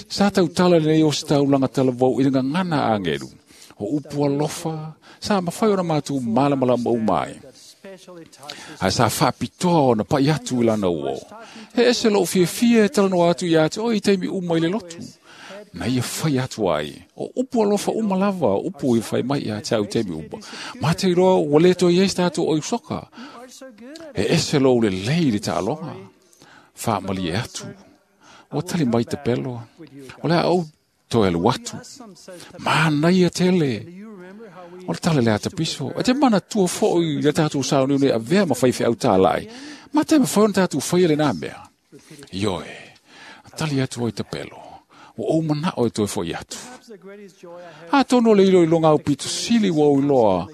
sa tautala lenei o se taulaga talavou i le gagana a agelu. O upu alofa, sa mafai ona matou malamalama uma ai. especially touches Ae sa faapitoa ona pai atu i lana uo. He ese lou fiafia e talanoa atu ia te oe i taimi uma i le lotu. Na ia fai atu ai. O upu alofa uma lava, o upu i fai mai ia te au i taimi uma. Ma te iloa ua le toe i ai se tatou oi soka. are so good at E ese lou lelei i le taaloga. Faamalie atu. Ua tali mai Tapelo. O le a ou toe alu atu. Manaia tele. O le tala le a Tapiso. E te manatua foʻi i le tatou sauniuni e avea ma faifeau tālaʻi. Ma te mafai ona tatou faia lenā mea. Ioe, tali atu ai Tapelo. Ua ou manao e toe foʻi atu. Atonu o le iloiloga aupito sili ua ou iloa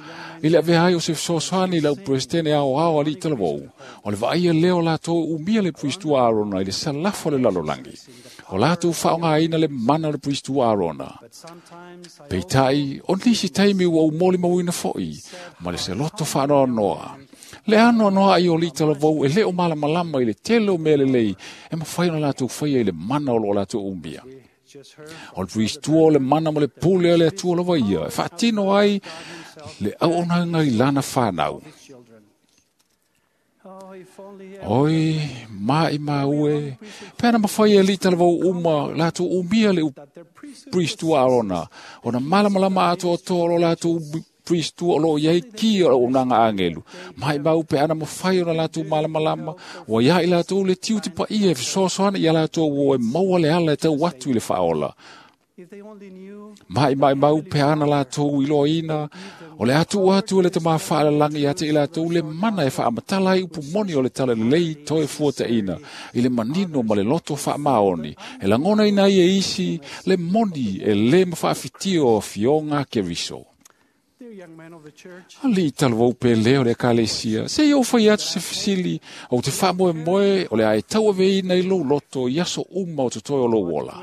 i le avea ai o se fesoasoani i lau Peresetene aoao alii talavou. O le vaaia lea o latou e umia le Puisitua Arona i le salafa o le lalolagi. O latou faaaogaina le mana o le Puisitua Arona. Peitai, o nisi taimi ua ou molimauina foʻi ma le seloto faanoanoa. Le anoanoaʻi o alii talavou e le o malamalama i le tele o mea lelei e mafai ona latou faia i le mana o loo latou umia. O le Puisitua o le mana ma le pule a le Atua lava ia e faatino ai le auaunaga i lana fanau. Oi, maʻimau e, pe ana mafai e alii talavou uma latou umia le Puisitua Arona, ona malamalama atoatoa o lo latou Puisitua o loo iai ki o le auaunaga agelu. Maʻimau pe ana mafai ona latou malamalama, ua ia i latou le tiute paia e fesoasoani ia latou ua e maua le ala e tau atu i le faaola. Maʻimaʻimau pe ana latou iloaina, o le atu atu e le tamā faalalagi ia te i latou le mana e faamatala ai upu moni o le talalelei toe fuataʻina i le manino ma le loto faamaoni, e lagonaina ai e isi le moni e lē mafaafitia o afioga a Keriso. Alii talavou pele o le ekalesia, se i ou fai atu se fesili, ou te faamoemoe o le a e tauaveina i lou loto i aso uma o totoe o lou ola.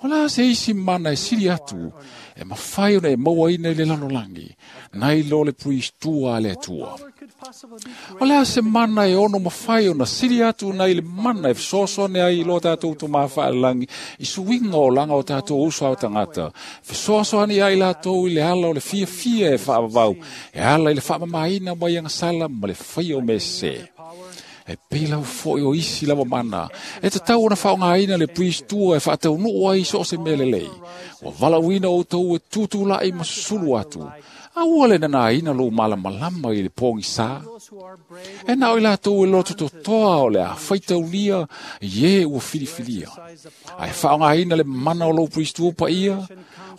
O la se isi mana e sili atu, e mafai ona e mauaina i le lalolagi, nai lo le Puisitua a le Atua. O le a se mana e ono mafai ona sili atu nai le mana e fesoasoani ai i lo tatou tomā faalelagi i suiga o laga o tatou uso a tagata, fesoasoani ai latou i le ala o le fiafia e faavavau, e ala i le faamamaina mai agasala ma le faia o mea sesē. E pei lava foʻi o isi lava mana, e tatau ona faaaogaina le Puisitua e faataunuu ai so o se mea lelei. Ua valaauina outou e tutulaʻi ma susulu atu. A ua le nanaina lou malamalama i le pogisā. E na o i latou e loto totoa o le a faitaulia i e ua filifilia. Ae faaaogaina le mana o lou Puisitua paia,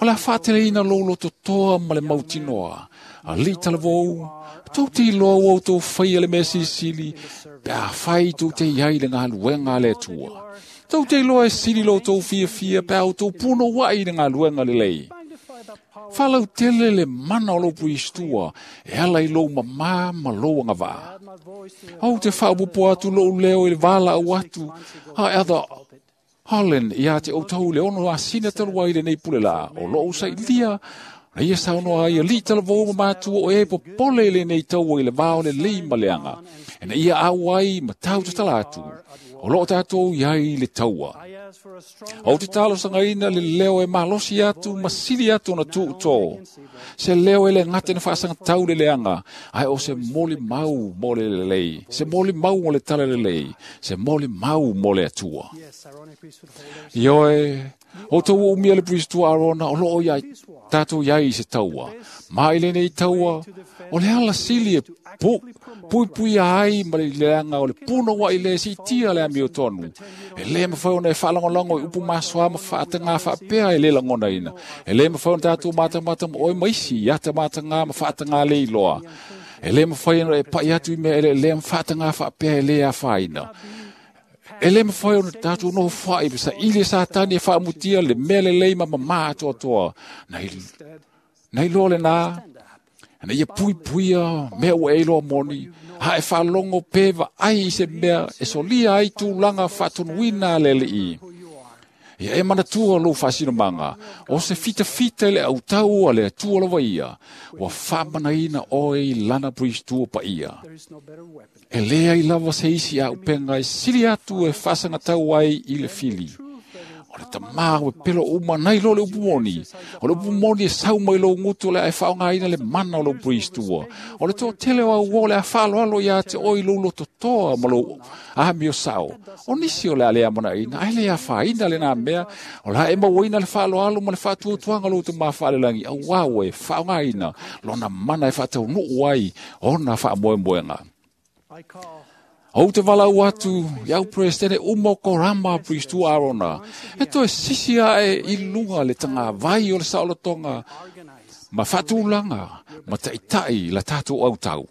o le a faateleina lou lototoa ma le mautinoa. Alii talavou, tou te iloa ua outou faia le mea silisili, pe afai tou te iai le galuega a le Atua. Tou te iloa e sili lo outou fiafia pe a outou punouaʻi i le galuega lelei. Faalautele le mana o lou Puisitua e ala i lou mamā ma lou agavaa. Ou te faaopoopo atu lou leo i le valaau atu a Elder Holland ia te outou i le 6 masina talu ai lenei pule laa o loo sailia na ia saunoa ai alii talavou ma matua o e popole i lenei taua i le va o lelei ma leaga. E na ia au ai ma tau tatala atu. O loo tatou iai i le taua. Ou te talosagaina le leo e malosi atu ma sili atu ona tuutō. Se leo e le gata na faasagatau le leaga, ae o se molimau mo le lelei, se molimau mo le talalelei, se molimau mo le Atua. Ioe, outou ua umia le Puisitua Arona o loo iai tatou iai i se taua. Ma i lenei taua, o le ala sili e puipuia ai ma le leaga o le punouaʻi lē siitia le amiotonu. E lē mafai ona e faalagolago i upu masoa ma faatagā faapea e lē lagonaina. E lē mafai ona tatou matamata ma oe ma isi i atamatagā ma faatagā le iloa. E lē mafai ona e paʻi atu i mea eleelea ma faatagā faapea e lē afaina. E lē mafai ona tatou nofoaʻi ma saʻili e Satani e faamutia le mea lelei ma mamā atoatoa. Nai loa lenā, na ia puipuia mea ua e iloa moni, a e faalogo pe vaai i se mea e solia ai tulaga faatonuina a le Alii. Ia e manatua lou faasinomaga, o se fitafita i le autau a le Atua lava ia, ua faamanaina oe i lana Puisitua paia. E lē ai lava se isi auupega e sili atu e faasagatau ai i le fili. O le tamā ua pelo uma nai lo le upu moni. O le upu moni e sau mai lou gutu o le a e faaaogaina le mana o lou Puisitua. O le toatele o auō o le a faaloalo ia te oe i lou lototoa ma lou amio sao. O nisi o le a le amanaʻina, ae le afaina lenā mea, o le a e mauaina le faaloalo ma le faatuatuaga o lou tamā faalelagi, auā ua e faaaogaina lona mana e faataunuu ai ona faamoemoega. Ou te walau atu, iau presidente uma o korama Priestua Arona, e toe sisi ae i lunga le tanga vai o le saolotonga, ma whaatulanga, ma taitai la tātou au tau.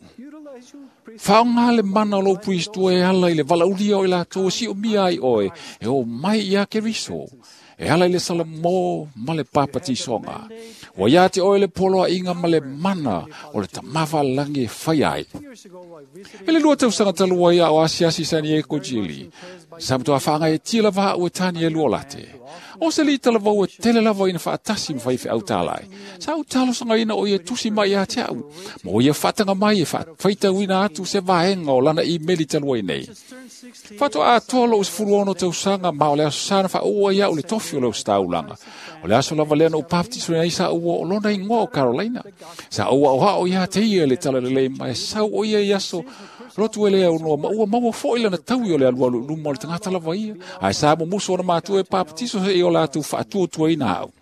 Whaonga le mana o lou Priestua e ala i le walaulia o i lātou si o mia ai oe, e o mai ia Keriso, e ala i le salamo ma le papatisonga. Wa ia te oe le poloa inga ma le mana o le tamawa langi e whai ai. E le lua tausanga talua ia o asiasi San Diego Jili. Sa mtoa whaanga e tila vaha ue tani e lua late. O se li tala vau e tele lava ina whaatasi mwhai whi autalai. Sa autalo sanga ina o ia tusi mai ia te au. Mo ia whatanga mai e whaitau ina atu se vaenga o lana i meli talua i nei. Whato a toa lo usfuruono tausanga ma o le aso sana wha ua ia o le tofi o le ustaulanga. O le aso lava lea na upaptiso nei sa ua o lona ingoa o Carolina. Sa ua o hao ia te ia le tala lelei mai sau o ia i aso lotu ele au noa ma ua maua foi lana taui o le alualu luma o le tangata lava ia. Ai sa mo muso ona mātua e papatiso se i o lātou whaatua ina au.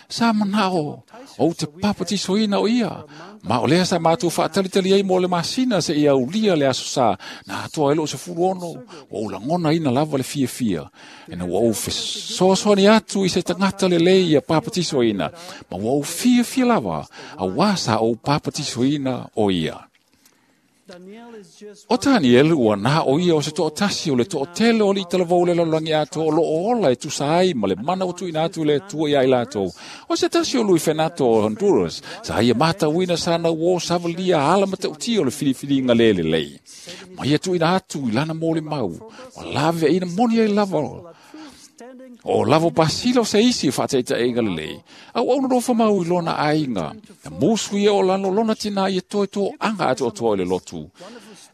Sa manao o te papatiso ina o ia. Ma o lea sa mātua whaatalitali ai mo le masina se ia ulia le aso sa. Nā atoa elo se furuono o ulangona ina lava le fia fia. E na ua ou fesoasoani atu i se tangata le lei ia papatiso ina. Ma ua ou fia fia lava a wā sa ou papatiso ina o ia. O Daniel ua nā o ia o se to'atasi o le to'atele o le italavou le lalolagi atoa o loo ola e tusa ai ma le mana o tuuina atu le Atua ia i latou. O se tasi o Lui Fenato o Honduras, sa ia matauina sa na uo savalia ala matautia o le filifiliga le lelei. Ma ia tuuina atu i lana mo le mau, ma lave ina moni ai lava. O lavo pasila o se isi e whaataitaiga lelei. Au au no mau i lona aiga. Na musu ia o lano lona tina ia toe tō anga atu o toa i le lotu.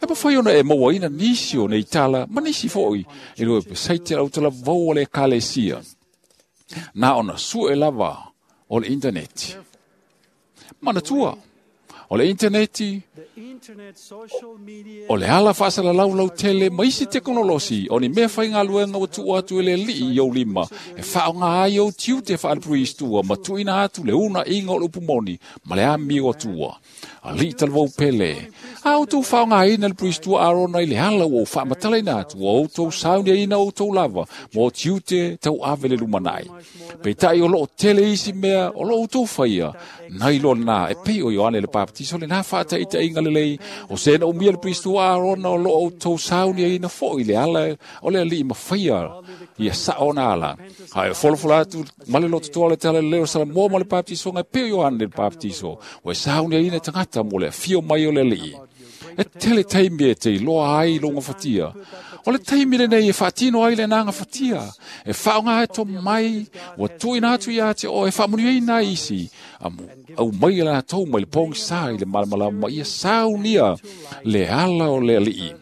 E pawhai ona e maua ina nisi o nei tala, ma nisi foi, e loe pesaite au tala vau o le kalesia. Nā ona sue lava o le interneti. Mana tua, o le interneti, o le ala whaasala laulau tele ma isi teknolosi o ni mea whai ngā luenga o tua atu ele lii i au lima e whaonga ai au tiute whaale priestua ma tuina atu le una inga o le upumoni ma le ami o atua. A li talwau pele. A o tau whaonga ina le priestua Arona i le ala o whaamatala ina atu o tau saunia ina o tau lava mo tiute tau ave le lumanai. Peitai o loo tele isi mea o loo tau whaia nai lo nā e pei o Ioane le Baptiso le nā whaata ita inga lelei o sena umia le priestua Arona o loo tau saunia ina fo i le ala o le ali mawhaia ia sa ona ala. Hai folofola atu male loto toa le tala leo sala moa ma le Baptiso ngai pei o Ioane le Baptiso o e saunia ina tangata mo le fio mai o le alii. E tele taimi e te iloa ai longa fatia. O le taimi le nei e whaatino ai le nanga fatia. E whaonga e tō mai, ua tuina atu ia te o e whaamuni ai nā isi. Amu, au mai la tau mai le pongi sa i le malamalama ia saunia le ala o le alii.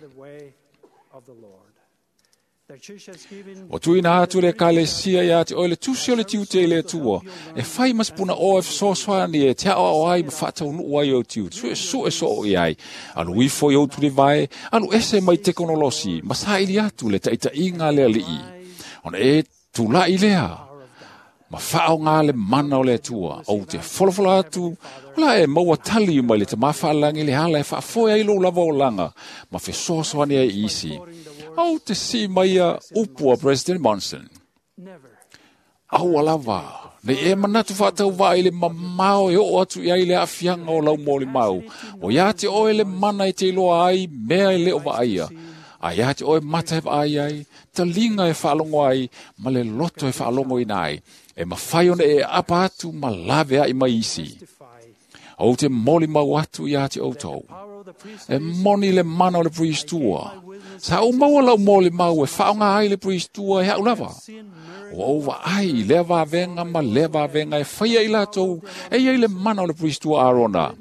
O tuina atu le kalesia ia te oe le tusi o le tiute i le atua. E whai masipuna o e whasoaswani e te ao ai ma whaataunu ai o tiute. Sue sue so o i ai. Alu ifo i o turi vai, alu ese mai tekonolosi, ma saili atu le taitainga le alii. Ona e tūlai lea. Ma whaonga le mana o le atua. O te folofola atu, la e maua tali mai le te mawhaalangi le hala e whaafoe ai lo lava o langa. Ma whesoaswani ai isi. Au te si mai a upu a President Monson. Au alava, nei e manatu whaatau vai le mamao e o atu i ai le afianga o lau mōle mau. O ia te oe le mana e te iloa ai, mea e leo vaaia. A ia te oe mata e vaai ai, talinga e whaalongo ai, ma le loto e whaalongo ina ai. E mawhai ona e apa atu ma lave ai mai isi. Au te moli mau atu ia te outou. E moni le mana o le priestua. Sa o maua lau moli mau e whaonga ai le priestua e hau lava. O au ai lea vavenga ma lea vavenga e whaia i lātou e iai le mana o le priestua Arona.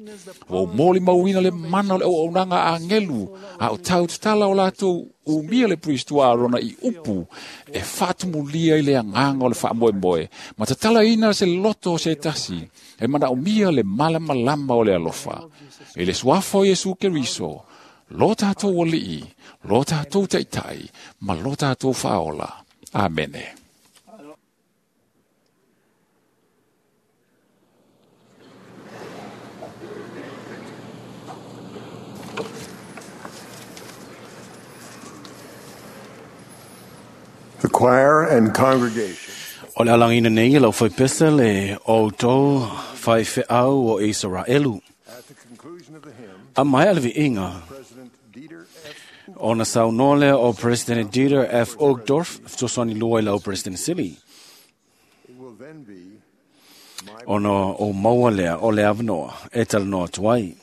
O moli mauina le mana o le auaunanga a angelu a o tau tatala o lātou umia le priestua Arona i upu e whaatumulia i le anganga o le whaamoemoe. Ma tatala ina se loto o se tasi e mana umia le malamalama o le alofa. E le suafa o Iesu Keriso, lo tātou alii, lo tātou taitai, ma lo tātou whaola. Amene. choir and congregation. O le alangina nei lau whai pesa le o tō whai wheau o Israelu. A mai ale inga. O na saunoa lea o President Dieter F. Uchtdorf, fesoasoani lua i lau President Sili. Ona o maua lea o le avanoa e talanoa atu ai.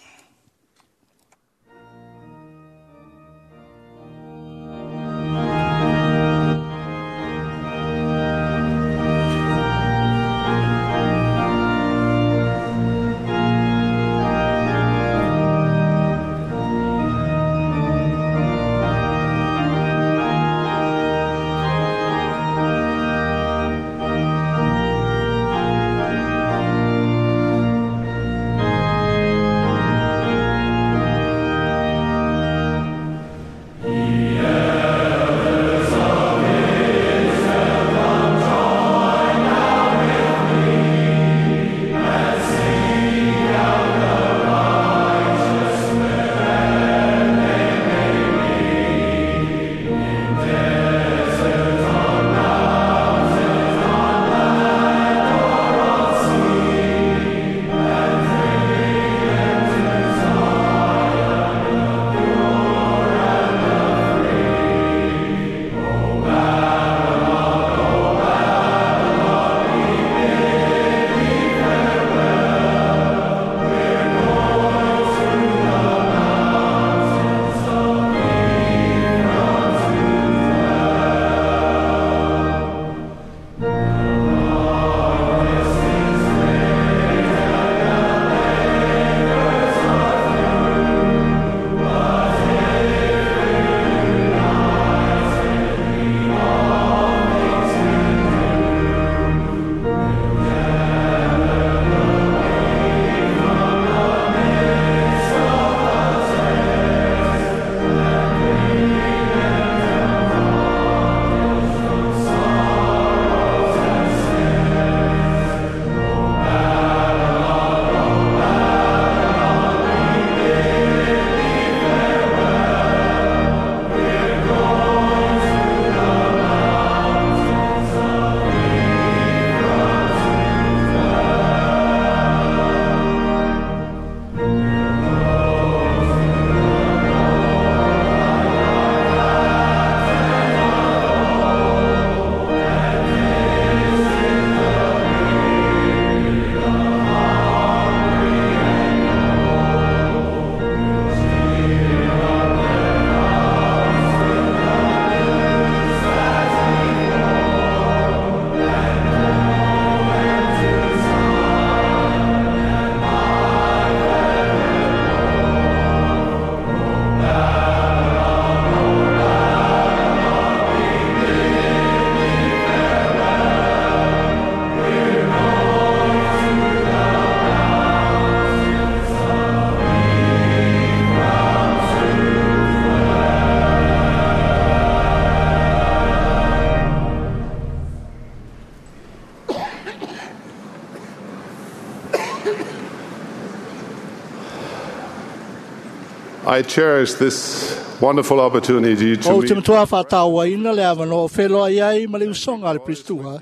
I cherish this wonderful opportunity to O te meet matua whātāwaina le awano o wheloa iai ma le usonga le Pristua.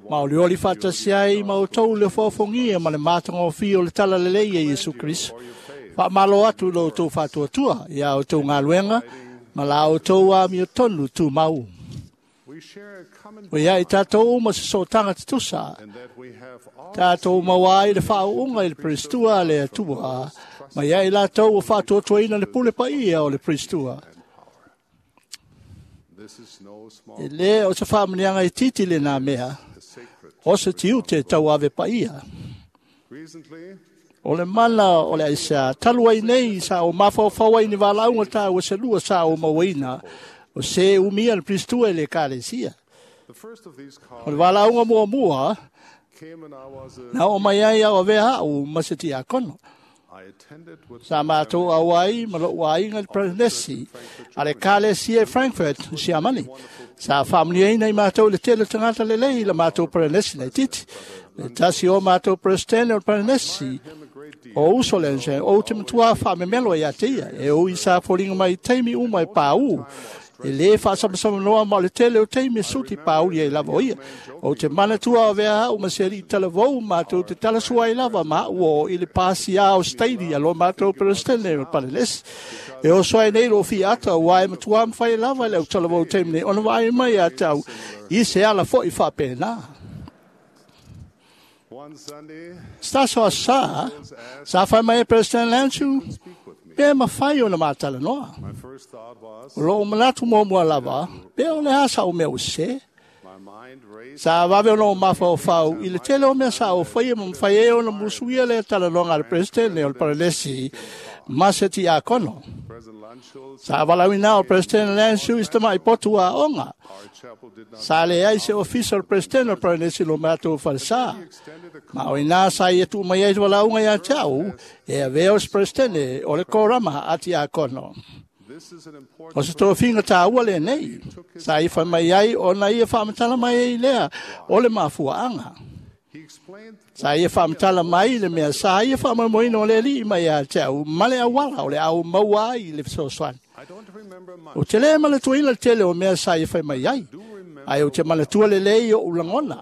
Ma o le oli whātasi ai ma o tau le whaofongia ma le mātanga o whio le tala lelei e Iesu Kristo. Wha malo atu lo tau whātua ia o tau ngā ma la o tau a mio tonu tū mau. O ia i tātou uma se so tanga te tusa. Tātou mauai le whaunga i le Pristua le atua. Ma ia i lātou o whātuatuaina le pule paia o le Pristua. E le o se whaamanianga i titi le nā mea. O se tiu te tau ave paia. O le mana o le aisa, talu ai nei sa o mawhawhau ai ni walaunga tā o se lua sa o mauaina. O se umia le Pristua le kalesia. O le walaunga mua mua, na o mai ai au avea au ma se tiakono. Sa mātou au ai ma lou aiga le Prenesi, a le kalesia e Frankfurt, Siamani. Sa whaamniaina i mātou le tele tangata lelei la mātou Prenesi nei titi. Le tasi o mātou Presidente o Prenesi, o uso le o te matua whaamemelo ia te ia, e o i sa foringa mai taimi uma e pāu. E lē faasamsamanoa ma o le tele o taimi e suti pauli ai lava o ia. Ou te manatua o vea au ma se aliʻi talavou matou te talasua ai lava ma a'u o i le pasiā o Staili a lo matou Peresetene o le Palenesi. E oso ai nei loo fiaata uā e matuā mafai lava e le au talavou taimi nei ona vaai mai ia te au i se ala foʻi faapena. Se tasi o aso sa fai mai e President Lanchu pe mafai ona matalanoa. O loo manatu muamua lava pe o le a sa'u mea ua sesē. Sa vave ona ou mafaufau i le tele o mea sa ou faia ma mafai ai ona musuia lea talanoaga a le Peresetene o le Paranesi ma se tiakono. Sa valaauina o President Lansu i se tamaʻi potu aoga. Sa leai se ofisa o le President o le Paranesi lo matou falesā. Ma o inā sa ia tuu mai ai se valaauga iā te a'u e avea o se Peresetene o le korama a tiakono. O se tofiga tāua lenei. Sa ia fai mai ai ona ia faamatala mai ai lea o le mafuaaga. Sa ia faamatala mai le mea sa ia faamoemoeina o le Alii mai ia te au ma le auala o le au maua ai le fesoasoani. Ou te lē manatuaina le tele o mea sa ia fai mai ai, ae ou te manatua lelei oʻu lagona.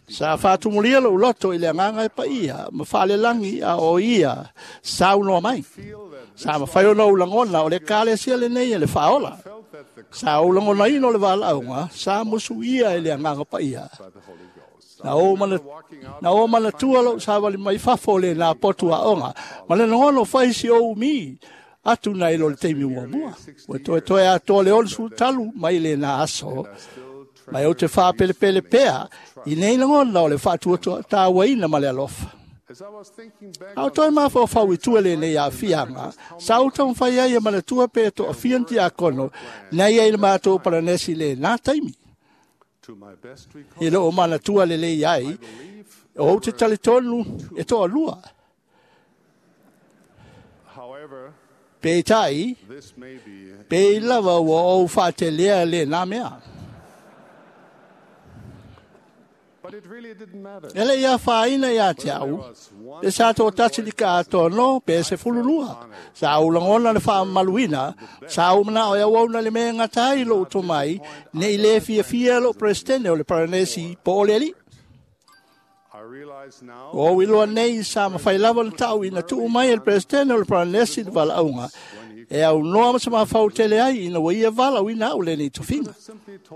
Sa faatumulia loʻu loto i le agaga e paia ma faalelagi a o ia saunoa mai. Sa mafai ona ou lagona o le ekalesia lenei e le faaola. Sa ou lagonaina o le valaauga sa musuia e le agaga paia. Na ou manatua loʻu savali mai fafo o lenā potu aoga ma le lagona o fai si ou umi atu nai lo le taimi muamua. Ua toetoe atoa le 63 mai lenā aso, ma e ou te faapelepele pea i nei lagona o le faatuatāuaina ma le alofa. A o toe mafaufau i tua lenei aafiaga, sa ou taumafai ai e manatua pe toafia ni tiakono na ia i le matou Palanesi lenā taimi. I loo manatua lelei ai, ou te talitonu e toalua. Peitai, pei lava ua ou faatelea lenā mea. E le ia fāina iā te au, pe sa toatasi lika atoa no, pe 12. Sa ou lagona le faamamaluina, sa ou manao e auauna le mea e gata ai lou tomai, nei lē fiafia lou Peresetene o le Paranesi po o le Alii. Ua ou iloa nei sa mafai lava ona ta'u ina tuu mai e le Peresetene o le Paranesi le valaauga e aunoa ma se mafau tele ai ina ua ia valaauina a'u lenei tofiga.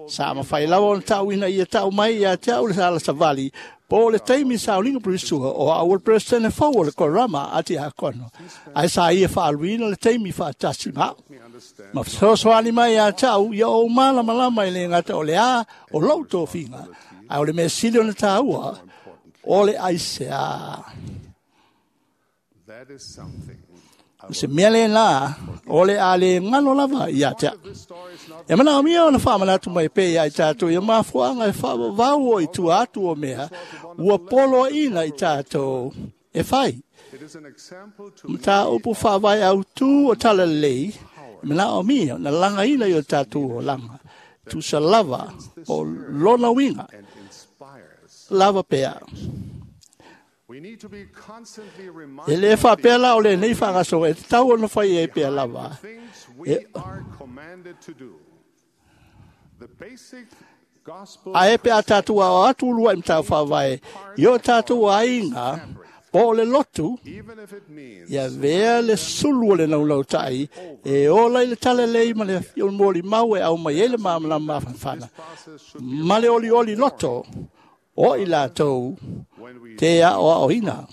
Sa mafai lava ona ta'u ina ia ta'u mai iā te a'u le ala savali po o le taimi sauliga pilistua o a'u o le Peresetene fou o le korama a tiakono, ae sa ia faaluina le taimi faatasi ma a'u ma fesoasoani mai iā te a'u ia ou malamalama i le gata o le a o lou tofiga, ae o le mea sili ona tāua o le aiseā. O se mea lenā o le a lē galo lava iā te a'u. E manaomia ona faamanatu mai pea iā i tatou ia mafuaaga e faavavau o i tua atu o mea ua poloaʻina i tatou e fai. Mataupu faavae autū o Talalelei e manaomia ona lagaina i o tatou olaga. Tusa lava o lona uiga lava pea. E lē faapea la o lenei faagasologa e tatau ona fai ai pea lava. Ae pe a tatou aoao atu uluaʻi mataupu faavae i o tatou aiga po o le lotu, ia avea le sulu o le naunautai e ola i le talalelei ma le molimau e aumai ai le malamalama mafanafana ma le olioli loto o i latou te aoaoina.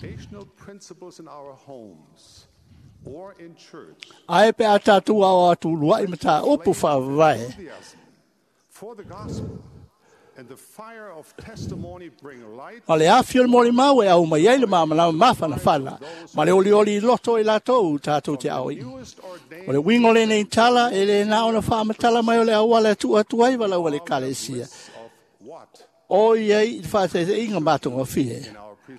Ae pe a tatou aoao atu uluaʻi mataupu faavae ma le afi o le molimau e aumai ai le malamalama mafanafana ma le olioli i loto i latou tatou te aoina. O le uiga o lenei tala e lē na ona faamatala mai o le auala e tuu atu ai valaau a le Ekalesia o iai i le faataitaiga matagofie.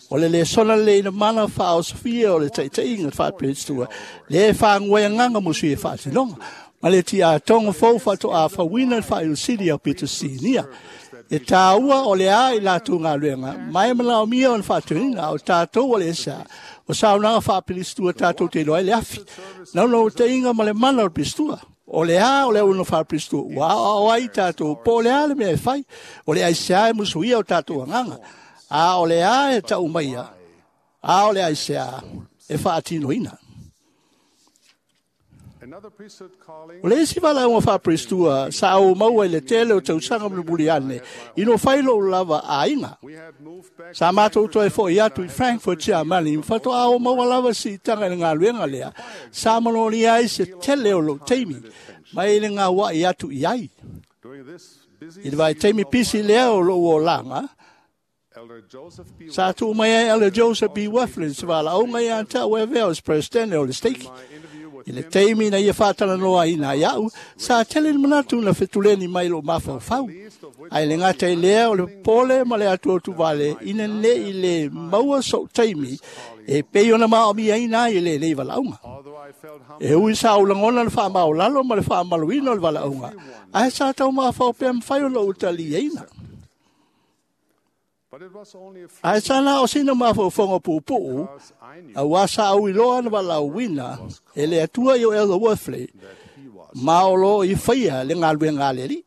O le lesona lelei na mana faaosofia o le taitaiga faapelistua le faaguai agaga mo sui e faatinoga ma le tiatoga fou faatoa fauina le faailusili au Peter Sinia. E tāua o le a i lātou galuega, ma e manaomia ona faatuina, a o tātou o le esa, o saunoaga faapilistua tātou te iloa ai le afi. Naunautaiga ma le mana o le pilistua. O le a o le auauna faapilistua, ua aoao ai tātou, po o le a le mea e fai, o le aisea e musuia o tātou agaga, a o le a e tau maia, a o le aisea e faatinoina. O le isi valaauga faapilistua sa ou maua i le tele o tausaga mulimuli ane, ina ua fai lou lava aiga. Sa matou toe fo'i atu i Frankfurt, Siamani, ma faatoa ou maua lava siitaga i le galuega lea, sa manolia ai se tele o lou taimi mai le gaua'i atu i ai. I le vaitaimi pisi lea o lou olaga, sa tuu mai ai Elder Joseph B. Wirthlin se valaauga ia te au e avea o se Peresetene o le Stake. I le taimi na ia faatalanoaina ai a'u, sa tele ni manatu na fetuleni mai lou mafaufau. Ae le gata i lea o le popole ma le atuatuvale ina ne'i lē maua so'u taimi e pei ona maomiaina ai e lenei valaauga. E ui sa ou lagona le faamaolalo ma le faamamaluina o le valaauga, ae sa taumafao pea mafai ona ou taliaina. Ae sa na o sina mafaufauga puupuu, auā sa ou iloa na valaauina e le Atua i o Elder Wirthlin, ma o loo i faia le galuega a le Alii.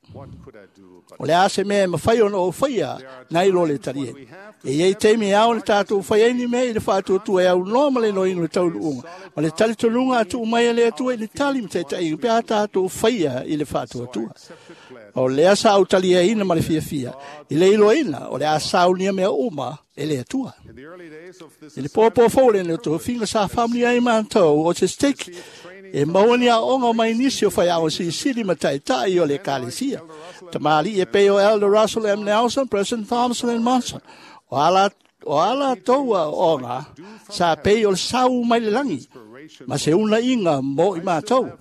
O le a se mea e mafai ona ou faia nai lo le taliega. E i ai taimi e ao ona tātou fai ai ni mea i le faatuatua e aunoa ma le iloaina o le taunuuga, ma le talitonuga a tuu mai e le Atua i le tali ma taitaiga pe a tātou faia i le faatuatua. O lea sa ou taliaina ma le fiafia i le iloaina o le a saunia mea uma e le Atua. I le pōpō fou lenei o tofiga sa faamanuia ai matou o se stake e maua ni aoaoga mai nisi o faiaoga silisili ma taitai o le Ekalesia. Tamalii e pei o Elder Russell M. Nelson, President Thompson and Monson. O a o a latou aoaoga sa pei o le sau mai le lagi ma se unaiga mo i matou.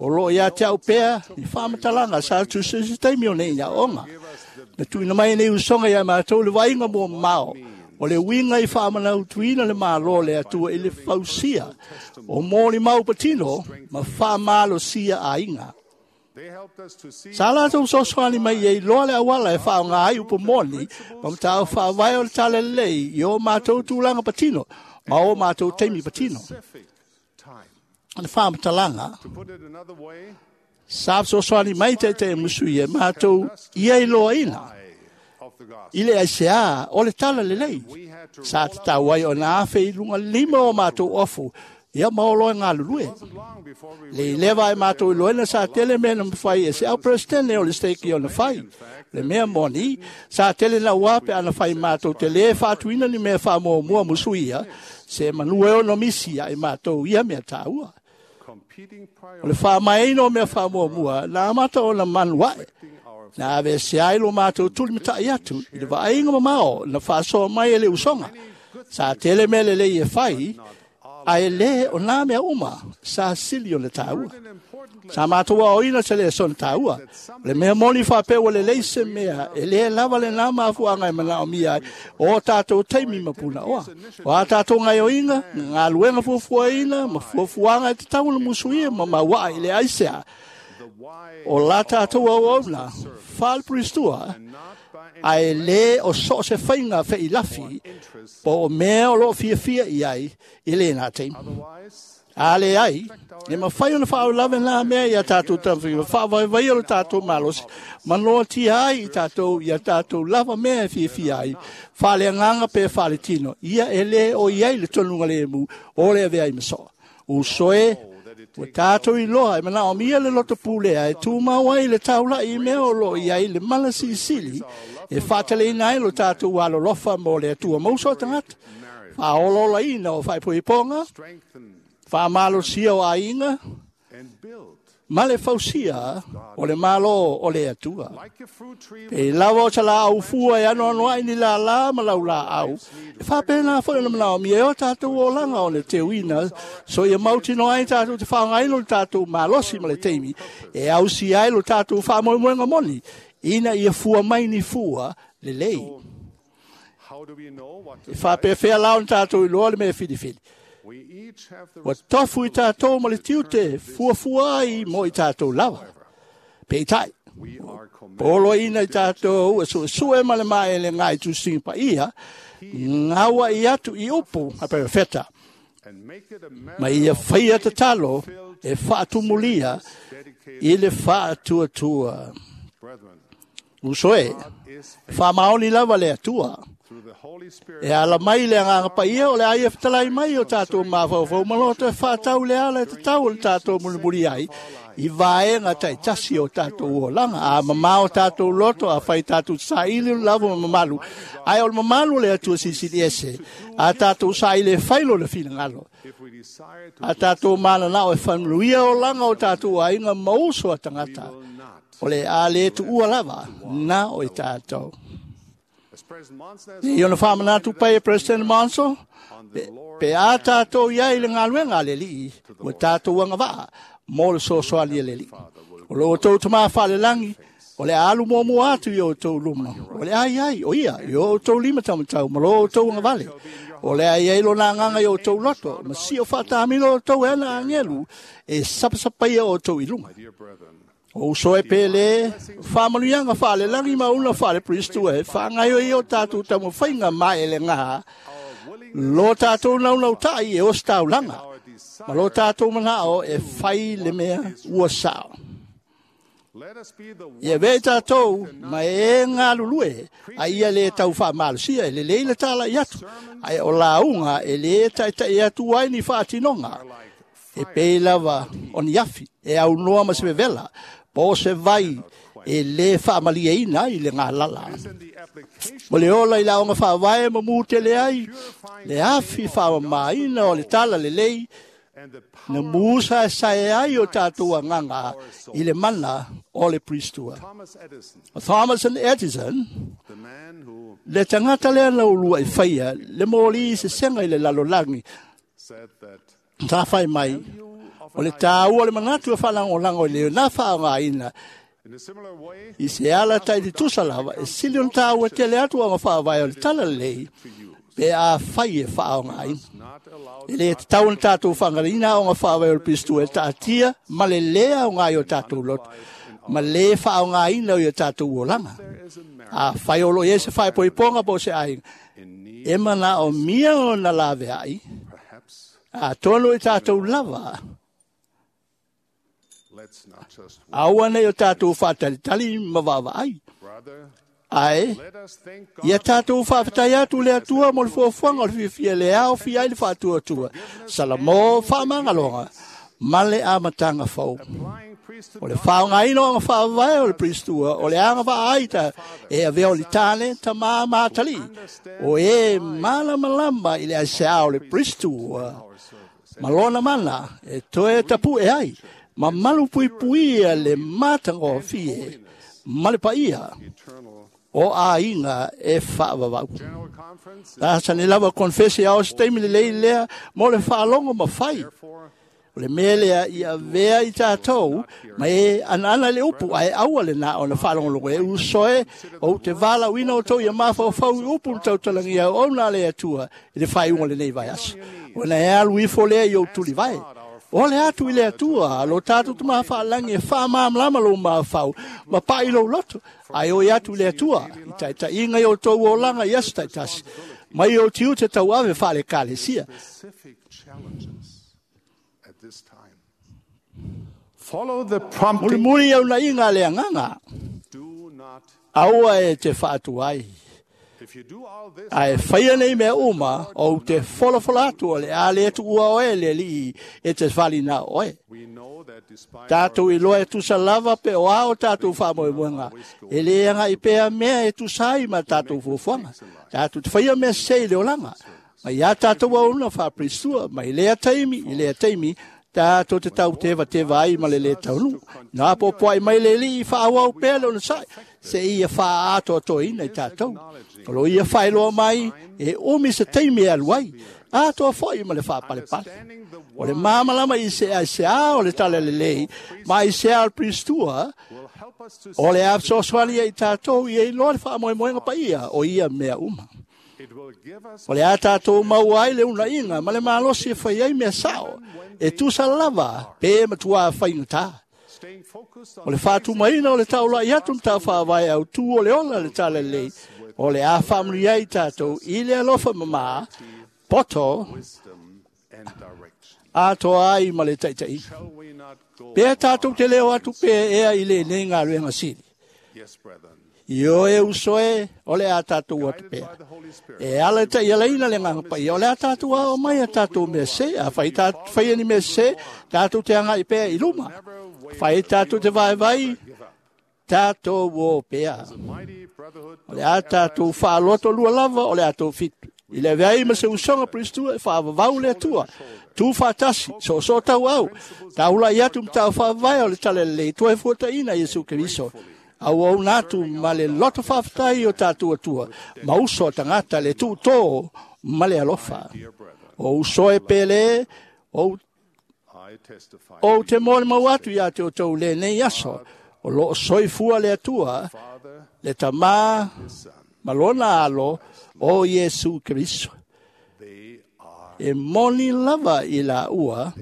O loo ia te au pea ni faamatalaga sa tusi se taimi o nei aoaoga. Na tuuina mai nei usoga ia matou le vaaiga muamao o le uiga i faamanautuina le Malo o le Atua i le fausia o molimau patino ma faamalosia aiga. Sa latou fesoasoani mai e iloa le auala e faaaoga ai upu moni ma mataupu faavae o le Talalelei i o matou tulaga patino ma o matou taimi patino. O le faamatalaga, sa fesoasoani mai taitai musu ia matou ia iloaina i le aisea o le Talalelei. Sa tatau ai ona afe i luga lima o matou ofu, ia ma olo e galulue. Le i leva ai matou iloaina sa tele mea na mafai e se au Peresetene o le stake ona fai. Le mea moni, sa tele naua pe ana fai matou te lē faatuina ni mea faamuamua musuia, se manu e ono misi ai matou ia mea tāua. O le faamaeaina o mea faamuamua, na amata ona manu ae. Na aveesea ai lo matou tulimata'i atu i le vaaiga mamao na faasoa mai e le usoga. Sa tele mea lelei e fai, ae lē o nā mea uma sa sili ona tāua. Sa matou aoaoina se lesona tāua. O le mea moni faapea ua lelei se mea, e lē lava lenā mafuaaga e manaomia ai o tātou taimi ma punaoa. O a tātou gaoioiga, galuega fuafuaina ma fuafuaga e tatau ona musuia ma mauaa i le aisea o la tātou auauna faalepilistua, ae lē o so o se faiga feilafi po o mea o loo fiafia i ai i lenā taimi. A leai, e mafai ona faalavelave nā mea ia tātou taumafaiga, faavaevaia lo tātou malosi, ma noatia ai i tātou ia tātou lava mea e fiafia ai, faaleagaga pe faaletino, ia e lē o i ai le tonuga lemu o le avea ai ma soa. Uso e, ua tātou iloa e manaomia le loto pulea e tumau ai le taula'i i mea o loo i ai le mala silisili e faataleina ai lo tātou alolofa mo le Atua mauso o tagata, faaolaolaina o faaipoipoga, faamalosia o aiga, ma le fausia o le Malo o le Atua. Pei lava o se laau fua e anoanoai ni lālā ma laulāau, e faapena foi ona manaomia e o tātou olaga o le teuina, so ia mautinoa ai tātou te faaaogaina o le tātou malosi ma le taimi, e ausia ai lo tātou faamoemoega moni, ina ia fua mai ni fua lelei. E faapefea la ona tātou iloa le mea filifili. Ua tofu i tātou ma le tiute fuafua ai mo i tātou lava. Peitai, Poloaiina i tatou e suesue ma le maelega i tusiga paia, gaua'i atu i upu a perofeta, ma ia faia tatalo e faatumulia i le faatuatua. Uso e, faamaoni lava le Atua. E ala mai le agaga paia o le ai e fetalai mai o tatou mafaufau ma loto e faatau le ala e tatau o le tatou mulimuli ai i vaega taitasi o tatou olaga. A mamao tatou loto, a fai tatou saili o lava ma mamalu. Ae o le mamalu o le Atua silisili ese, a tatou saili e fai lona finagalo. A tatou mananao e faamanuia olaga o tatou aiga ma uso a tagata, o le a le tuua lava na o i tatou. I ona whāmanatu pai e President Monson, pe a tātou ia i le galuega a le Alii, ua tātou agavaa mo le soasoani a le Alii. O lo outou tamā faalelagi, o le a alu muamua atu i o outou luma. O le a iai, o ia, i o outou lima taumatau, ma lo outou agavale. O le a iai lona agaga i o outou loto, ma sio faatamilo outou e ana agelu, e sapasapaia outou i luga. O uso e pele, whaamanuiaga faalelagi ma una faalepristu e faagaioia o tatou taumafaiga maelega, lo tatou naunautai e ositaulaga, ma lo tatou manao e fai le mea ua sao. Ia vea i tatou ma e galulue, a ia le tau faamalosia e lelei le talai atu, ae o lauga e lē taita'i atu ai ni faatinoga, e pei lava o ni afi e aunoa ma se vevela, po o se vai e lē faamalieina ai le galala. O le ola i le aoga faavae ma mu tele ai le afi faamamaina o le tala lelei, na musaesae ai o tatou agaga i le mana o le Pristua. O Thomas Edison, le tagata lea na uluai faia le moli i sesega i le lalolagi, sa fai mai, o le tāua o le manatu e faalagolago i le na faaaogaina i se ala taitutusa lava, e sili ona tāua tele atu aga faavae o le tala lelei, pe a fai e faaaogaina. E lē tatau ona tatou faagalaina aoga faavae o le Pirisito e taatia ma le lē aoga i o tatou loto, ma lē faaaogaina o i o tatou olaga. A fai o loo i ai se faepoipoga po o se aiga, e manaomia ona laveai, atonu i tatou lava. Aua nei o tatou faatalitali ma vaavaai. Ae, ia tatou faafetai atu le Atua mo le fuafuaga o le fiafia le aofia ai le faatuatua, Salamo faamagaloga ma le amataga fou. O le faaaogaina o aga faavae o le Pristua, o le agavaa ai ta e avea o le tane, tamā ma atalii, o e malamalama i le aiseā o le Pristua, ma lona mana e toe tapu'e ai, ma malupuipuia le matagofie ma le paia o aiga e faavavau. Asani lava konfesi ao se taimi lelei lea mo le faalogo ma fai. O le mea lea ia avea i tatou ma e anaana le upu, ae aua lenā ona faalogologo e uso e, ou te valaauina outou ia mafaufau i upu na tautalagia auauna a le Atua i le faaiuga o lenei vaiaso. Ona e alu ifo lea i ou tulivae. O le atu i le Atua, lo tatou tamā faalagi e faamalamalama lou mafaufau ma pa'i lou loto, ae oi atu i le Atua, i taitaiga i outou olaga i aso taitasi, mai ou tiute tauave faale-ekalesia. Mulimuli aunaiga a le agaga, aua e te faatuai. Ae faia nei mea uma, ou te folafola atu o le a le tuua oe le Alii e te falina oe. Tatou iloa e tusa lava pe o a o tatou faamoemoega, e lē aga'i pea mea e tusa ai ma tatou fuafuaga. Tatou te faia mea sesē i le olaga, ma iā tatou auauna faaperisua, mai lea taimi i lea taimi, tatou te tautevateva ai ma le lē taunuu. Na apoapoai mai le Alii faaauau pea le onosai, se ia faaatoatoaina i tatou. O lo ia faailoa mai e umi se taimi e alu ai, atoa foi ma le faapalepale. O le malamalama i se aiseā o le tala lelei, ma aiseā o le Pristua, o le a fesoasoani ai i tatou ia iloa le faamoemoega paia o ia mea uma. O le a tatou maua ai le unaiga ma le malosi e fai ai mea sao, e tusa lava pe matuā faigata. O le faatumaina o le taulai atu ma tau faavae au tu o le ola le talalelei, o le a faamanuia ai tatou i le alofa mamā, poto, atoa ai ma le taitaiga. Pea tatou te leo atu pea ea i lenei galuega sili. Ioe e uso e, o le a tatou atu pea. E ala i ta'ialaina le Agaga Paia, o le a tatou ao mai a tatou mea sē. A fai faia ni mea sē, tatou te aga'i pea i luma. Fai tatou te vaivai, tatou o pea. O le a tatou fa'aloto lua lava o le a tou fitu. I le avea ai ma se usoga Peristua e fa'avavau le Atua. Tu fa'atasi, soosoo tauau, taula'i atu ma tau fa'avae o le Talalelei toe fuataʻina Iesu Keriso. Auauna atu ma le loto fa'afetai o tatou Atua, ma uso a tagata le tu'utō ma le alofa. O uso e pele, ou te molimau atu iā te outou lenei aso, o loo soifua le Atua, le Tamā ma lona alo o Iesu Keriso. E moni lava i laua,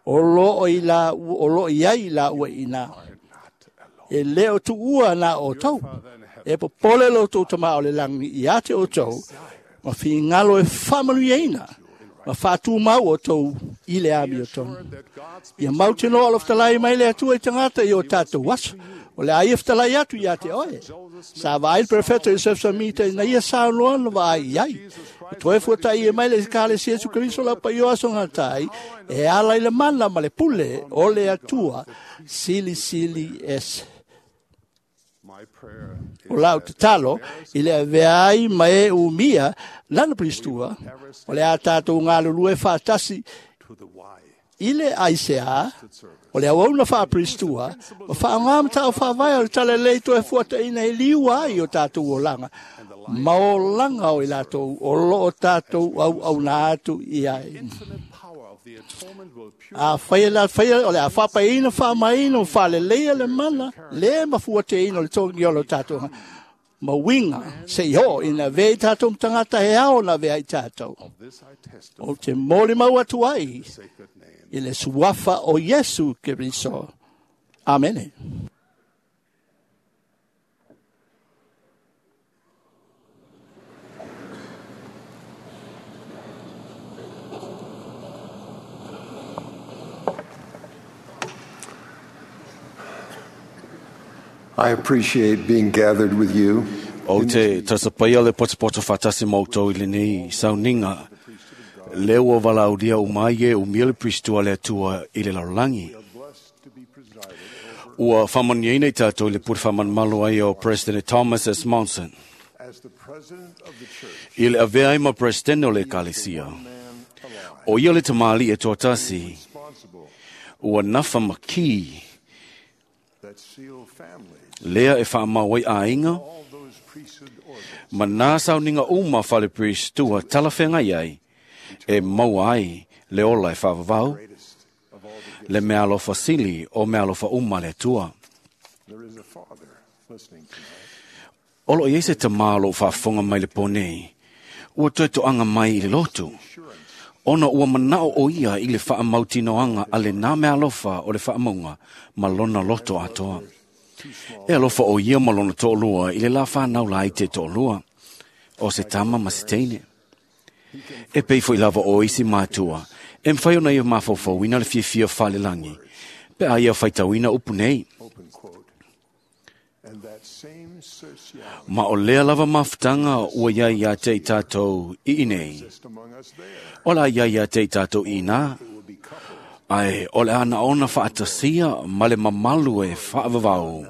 o loo i ai laua i ina. E le o tuua na outou. E popole lo outou Tamā o le lagi ia te outou, ma figalo e faamanuiaina, ma faatumau outou i le amiotonu. Ia mautinoa o lo fetalai mai le Atua i tagata i o tatou aso. O le a ia fetalai atu ia te oe. Sa vaai le Perofeta Iosefo Samita ina ia saunoa na vaai i ai. E toe fuata'i e mai le Ekalesia Iesu Keriso lau paia o aso gatai, e ala i le mana ma le pule o le Atua silisili ese. O lau tatalo i le avea ai ma e umia lana Peristua, o le a tatou galulue fa'atasi i le aisea, o le auauna faaperistua, ma faaaogā ma ta'u faavae o le talalelei toe fuataʻina e liua ai o tatou olaga, ma olaga o i latou o loo tatou auauna atu i ai. A faia la faia o le a faapaiina faamaina ma faaleleia le mana le mafuateina o le togi o lo tatou ma uiga se'i oo ina avea i tatou ma tagata e ao ona avea ai tatou. Ou te molimau atu ai i le suafa o Iesu Keriso. Amene. I appreciate being gathered with you. Ou te tasapaia le potopoto fa'atasi ma outou i lenei sauniga le ua valaaulia uma ai e umia le Peristua le Atua i le lalolagi. Ua fa'amanuiaina i tatou i le pule fa'amalumalu ai o President Thomas S. Monson. I le avea ai ma Peresetene o le Ekalesia. O ia le tamāli'i e toatasi, ua nafa makī lea e fa'amau ai aiga, ma nā sauniga uma fale Peristua talafeagai ai, e maua ai le ola e fa'avavau, le mea alofa sili o mea alofa uma le Atua. O loo i ai se tamā o loo faafofoga mai le pō nei, ua toe toaga mai i le lotu, ona ua manao o ia i le faamautinoaga a lenā mea alofa o le faamauga ma lona loto atoa. E alofa o ia ma lona toalua i le la whanau la i te toalua, o se tama ma se teine. E pei foi lava o isi mātua, e mwhai ona ia mafaufauina le fiafia whalelangi, pe a ia whaitauina upu nei. Ma o lea lava mafutanga ua iai ia te i tātou i inei. O la iai ia te i tātou i nā. Ai, o le ana ona whaatasia ma le mamalu e whaavavau.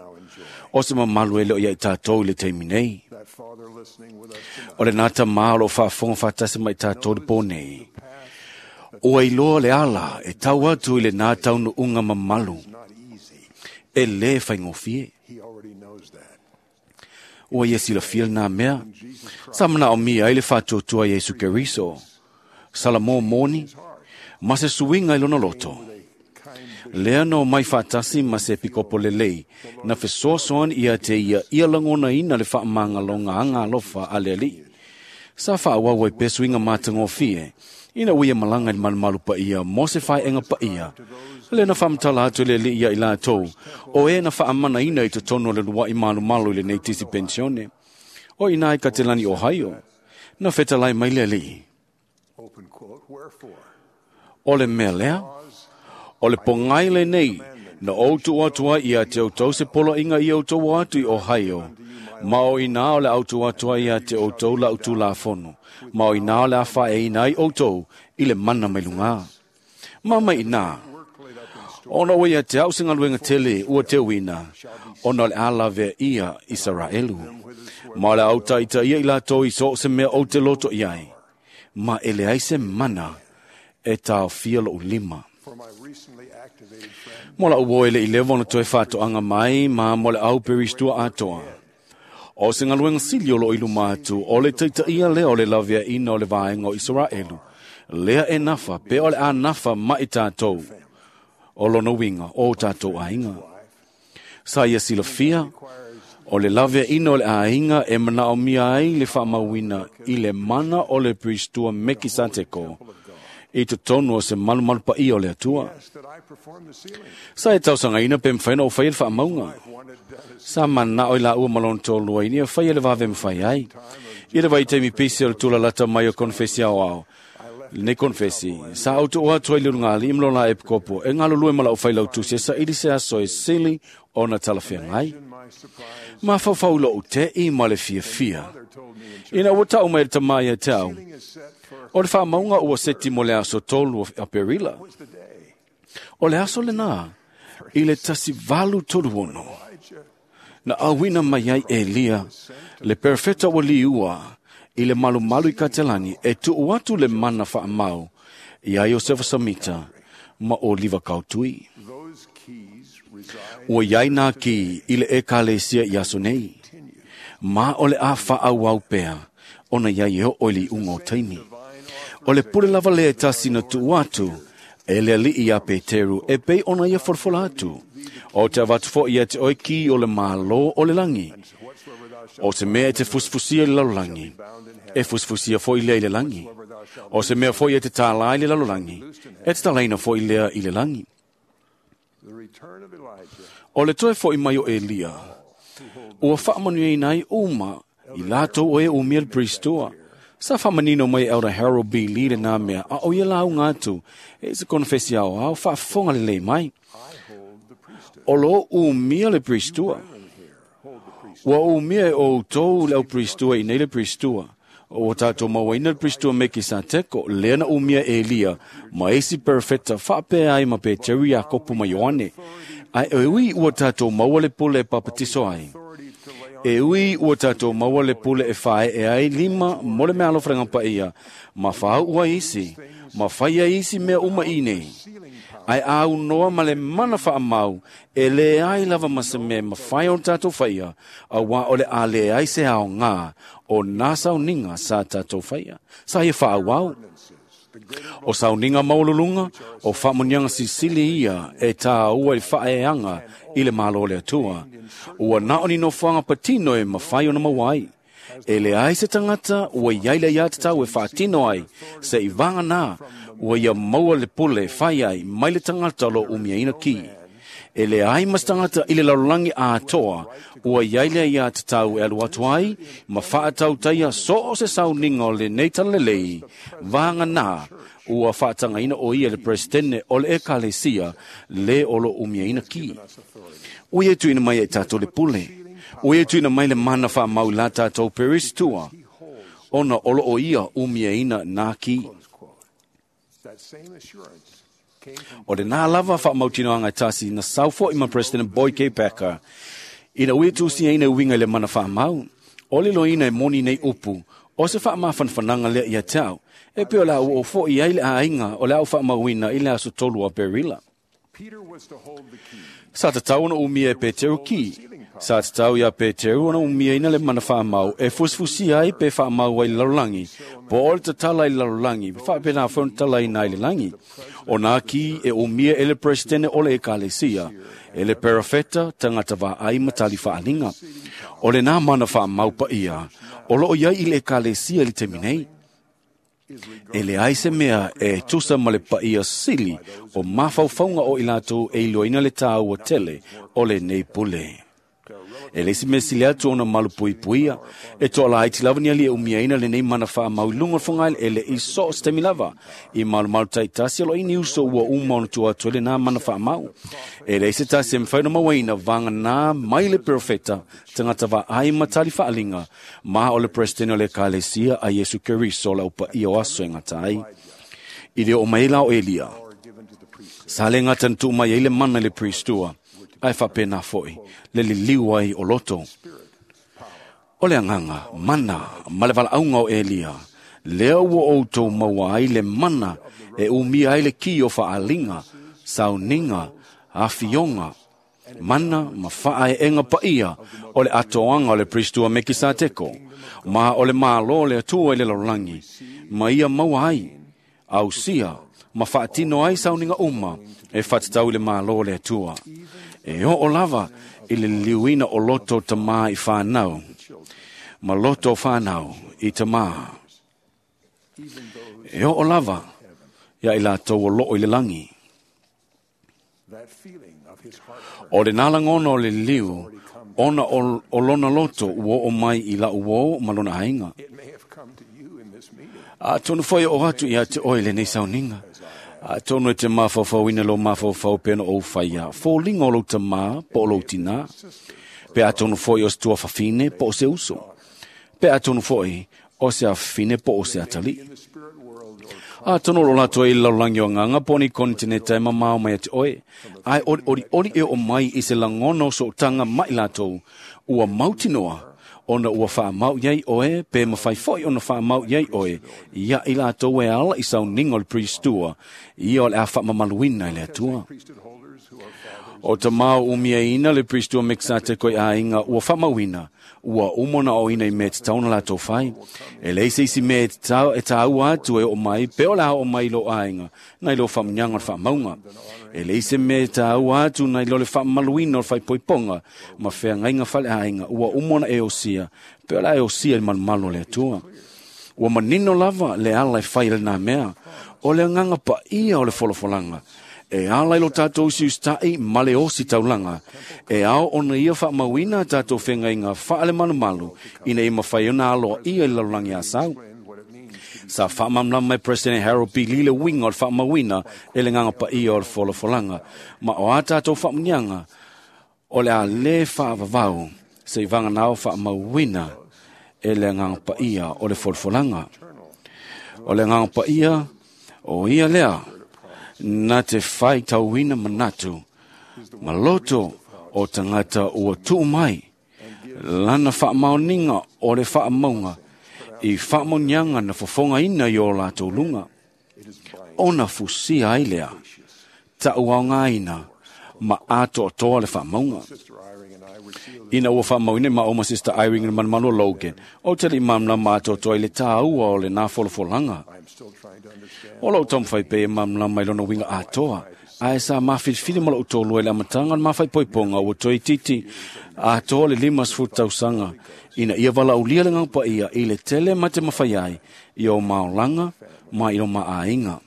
O se mamalu e leo ia i tātou i le teimi nei. O le nata mālo whaafonga whaatasi mai tātou le pō nei. Ua iloa le ala e tau atu i le nā taunu unga mamalu. E le whaingofie. Ua ia silafia nā mea. Sa mana o mia i le whātuatua Iesu Keriso. Sala mō mōni, ma se suinga i lona loto. Lea no mai whaatasi ma se pikopo lelei, na fesoasoani ia te ia ia langona ina le whaamanga longa anga alofa a le alii. Sa whaawau ai pesuinga mātangofie, Ina ua ia malaga i le malumalu paia mo se faeega paia, lea na faamatala atu e le Alii ia i latou, o e na faamanaina i totonu o le luaʻi malumalu i lenei tisi penisione. O i ina i Katelani Ohio, na fetalai mai le Alii. O le mea lea, o le pogai lenei na ou tuu atu ai ia te outou se poloaiga ia outou o atu i Ohio, ma o ina o le a ou tuu atu ai ia te outou lau Tulafono, ma o ina o le a faaeaina ai outou i le mana mai lugā. Ma mai ina, ona ua ia te au se galuega tele ua teuina, ona o le a lavea ia Isaraelu. Ma o le a ou taitaia i latou i so o se mea ou te loto i ai, ma e leai se mana e taofia loʻu lima. Mo la'u uo e le i leva ona toe faatoaga mai ma mo le au peristua atoa. O se galuega sili o loo i luma atu, o le taitaia lea o le laveaina o le vaega o Isaraelu, lea e nafa pe o le a nafa ma i tatou, o lona uiga o tatou aiga. Sa ia silafia, o le laveaina o le aiga e manaomia ai le faamauina i le mana o le Peristua Mekisateko i totonu o se malumalu paia o le Atua. Sa e tausagaina pe mafai ona ou faia le faamauga. Sa manao i laua ma lona toalua ina ia faia le vave mafai ai. I le vaitaimi pisi o le tulalata mai o konefesi aoao, lenei konefesi, sa ou tuu atu ai le ulugalii ma lona epikopo e galulue ma lau failautusi e saili se aso e sili ona talafeagai. Mafaufau i lou te'i ma le fiafia. Ina ua tau mai le tama ia te au, o le faamauga ua seti mo le aso 3 o Aperila. O le aso lena, i le 1836, na auina mai ai Elia, le perofeta ua liua, i le malumalu i Katelani e tuu atu le mana faamau iā Iosefa Samita ma Oliva Kautui. Ua iai nā ki i le ekalesia i aso nei, ma o le a faaauau pea ona iai e oo i le iuga o taimi. O le pule lava lea e tasi na tuu atu e le Alii iā Peteru e pei ona ia folafola atu, O te avatu foi ia te oe ki o le Malo o le lagi. O se mea e te fusifusia i le lalolagi, e fusifusia foi lea i le lagi. O se mea foi e te tālā i le lalolagi, e tatalaina foi lea i le lagi. O le toe foi mai o Elia, ua faamanuiaina ai uma i latou o e umia le Peristua. Sa faamanino mai e Elder Harold B. Lee lenā mea, a o ia lauga atu e se konefesi aoao faafofoga lelei mai. O lo o umia le Peristua. Ua umia e outou le au Peristua i nei le Peristua. Ua tatou mauaina le Peristua Mekisateko, lea na umia e Elia ma isi perofeta faapea ai ma Peteru, Iakopo ma Ioane. Ae e ui ua tatou maua le pule e papatiso ai. E ui ua tatou maua le pule e faaee ai lima mo le meaalofa paia, ma faauu ai isi, ma fai ai isi mea uma i nei. Ae a aunoa ma le mana faamau, e leai lava ma se mea e mafai ona tatou faia, auā o le a leai se aoga o nā sauniga sa tatou faia. Sa ia faaauau. O sauniga maualuluga, o faamanuiaga silisili ia e tāua i le faaeaga i le Malo o le Atua. Ua na o ni nofoaga patino e mafai ona maua ai. E leai se tagata ua i ai le aiatatau e faatino ai se i vaganā ua ia maua le pule e fai ai mai le tagata o lo o umiaina ki. E leai ma se tagata i le lalolagi atoa ua i ai le aiatatau e alu atu ai ma faatautaia so o se sauniga o lenei talalelei, vaganā ua faatagaina o ia le Peresetene o le Ekalesia le o lo o umiaina ki. Ua ia tuuina mai e tatou le pule. Ua ia tuuina mai le mana faamau i la tatou Peristua, ona o lo o ia umiaina nā ki. O lenā lava faamautinoaga e tasi na sau foi ma President Boyd K. Packer ina ua ia tusiaina e uiga i le mana faamau. O le loina e moni nei upu, o se faamafanafanaga lea ia te au, e pei o le a ua oo foi ai le aiga o le a ou faamauina i le aso 3 o Aperila. Sa tatau ona umia e Peteru ki. Sa tatau iā Peteru ona umiaina le mana faamau e fusifusia ai pe faamau ai i le lalolagi, po o le tatala i le lalolagi, faapena foi ona tatalaina ai i le lagi. O nā ki e umia e le Peresetene o le Ekalesia, e le perofeta, tagata vaai ma tali faaliga. O lenā mana faamau paia o lo o i ai i le Ekalesia i le taimi nei. E leai se mea e tusa ma le paia sili o mafaufauga o i latou e iloaina le tāua tele o lenei pule. E le isi mea sili atu ona malupuipuia, e toalaiti lava ni alii e umiaina lenei mana faamau i luga o le fogaeleele i so o se taimi lava. I malumalu taitasi o lo o i ni uso ua uma ona tuu atu ai lenā mana faamau. E leai se tasi e mafai ona mauaina vaganā mai le perofeta, tagata vaai ma tali faaliga, ma o le Peresetene o le Ekalesia a Iesu Keriso o le Au Paia o aso e gata ai. I le oo mai ai la o Elia, sa le gata na tuu mai ai le mana i le Priestua, ae faapena foi le liliu ai o loto. O le agaga, mana ma le valaauga o Elia, lea ua outou maua ai le mana e umia ai le ki o faaliga, sauniga, afioga, mana ma faaeega paia o le atoaga o le Priestua Mekisateko, ma o le Malo o le Atua i le lalolagi, ma ia maua ai, ausia, ma faatino ai sauniga uma e faatatau i le Malo o le Atua. E oo lava i le liliuina o loto o tamā i whānau, ma loto o whānau i tamā. E oo lava ia i latou o loo i le langi. O le nalangona o le liliu, ona o lona loto ua oo mai i lau uo ma lona aiga. Atonu foi o atu ia te oe lenei sauniga. Atonu e te mafaufauina lo mafaufau pe ona ou whaia. Fōlinga o lou tamā po o lou tinā. Pe atonu foi o se tuafafine po o se uso. Pe atonu foi o se afafine po o se atalii. Atonu o lo latou i le lalolagi o agaga po o ni konitineta e mamao mai ia te oe. Ae olioli e oo mai i se lagona o sootaga mai latou. Ua mautinoa ona ua faamau iai oe pe mawhai foi ona faamau iai oe ia i latou e ala i sauniga o le Priestua ia o le a faamamaluina i le Atua. O tamā o umiaina le Priestua Mekisateko i aiga ua faamauina, ua uma ona aoina i mea e tatau ona latou fai. E leai se isi mea e tāua atu e oo mai pe o le a oo mai i lou aiga nai lo faamuniaga o le faamauga. E leai se mea e tāua atu nai lo le faamamaluina o le faaipoipoga ma feagaiga faleaiga ua uma ona e osia pe o le a e osia i le malumalu o le Atua. Ua manino lava le ala e fai i lenā mea, o le agaga paia o le folafolaga. E ala i lo tātou usiusitai ma le osi taulaga. E ao ona ia faamauina a tātou fegaiga faale malumalu ina ia mafai ona aloaia i le lalolagi asau. Sa faamalamalama mai President Harold B. Lee le uiga o le faamauina e le agaga paia o le folafolaga. Ma o a tātou faamuniaga, o le a lē faavavau se i vaganao faamauina e le agaga paia o le folafolaga. O le agaga paia o ia lea na te faitauina manatu ma loto o tagata ua tuu mai lana faamaoniga o le faamauga i faamaoniaga na fofogaina i o latou luga. Ona fusia ai lea, taʻuaogaina ma atoatoa le faamauga. Ina ua faamauina i maʻo ma Sister Irene le malumalu o Logan, o te alii malamalama atoatoa i le tāua o lenā folafolaga. O lou taumafai pea e malamalama i lona uiga atoa, ae sa mafilifili ma lou tōlua i le amataga o le mafaipoipoga ua toe itiiti atoa le 50 tausaga ina ia valaaulia le Agaga Paia i le tele ma te mafai ai i o maolaga ma i o maaiga.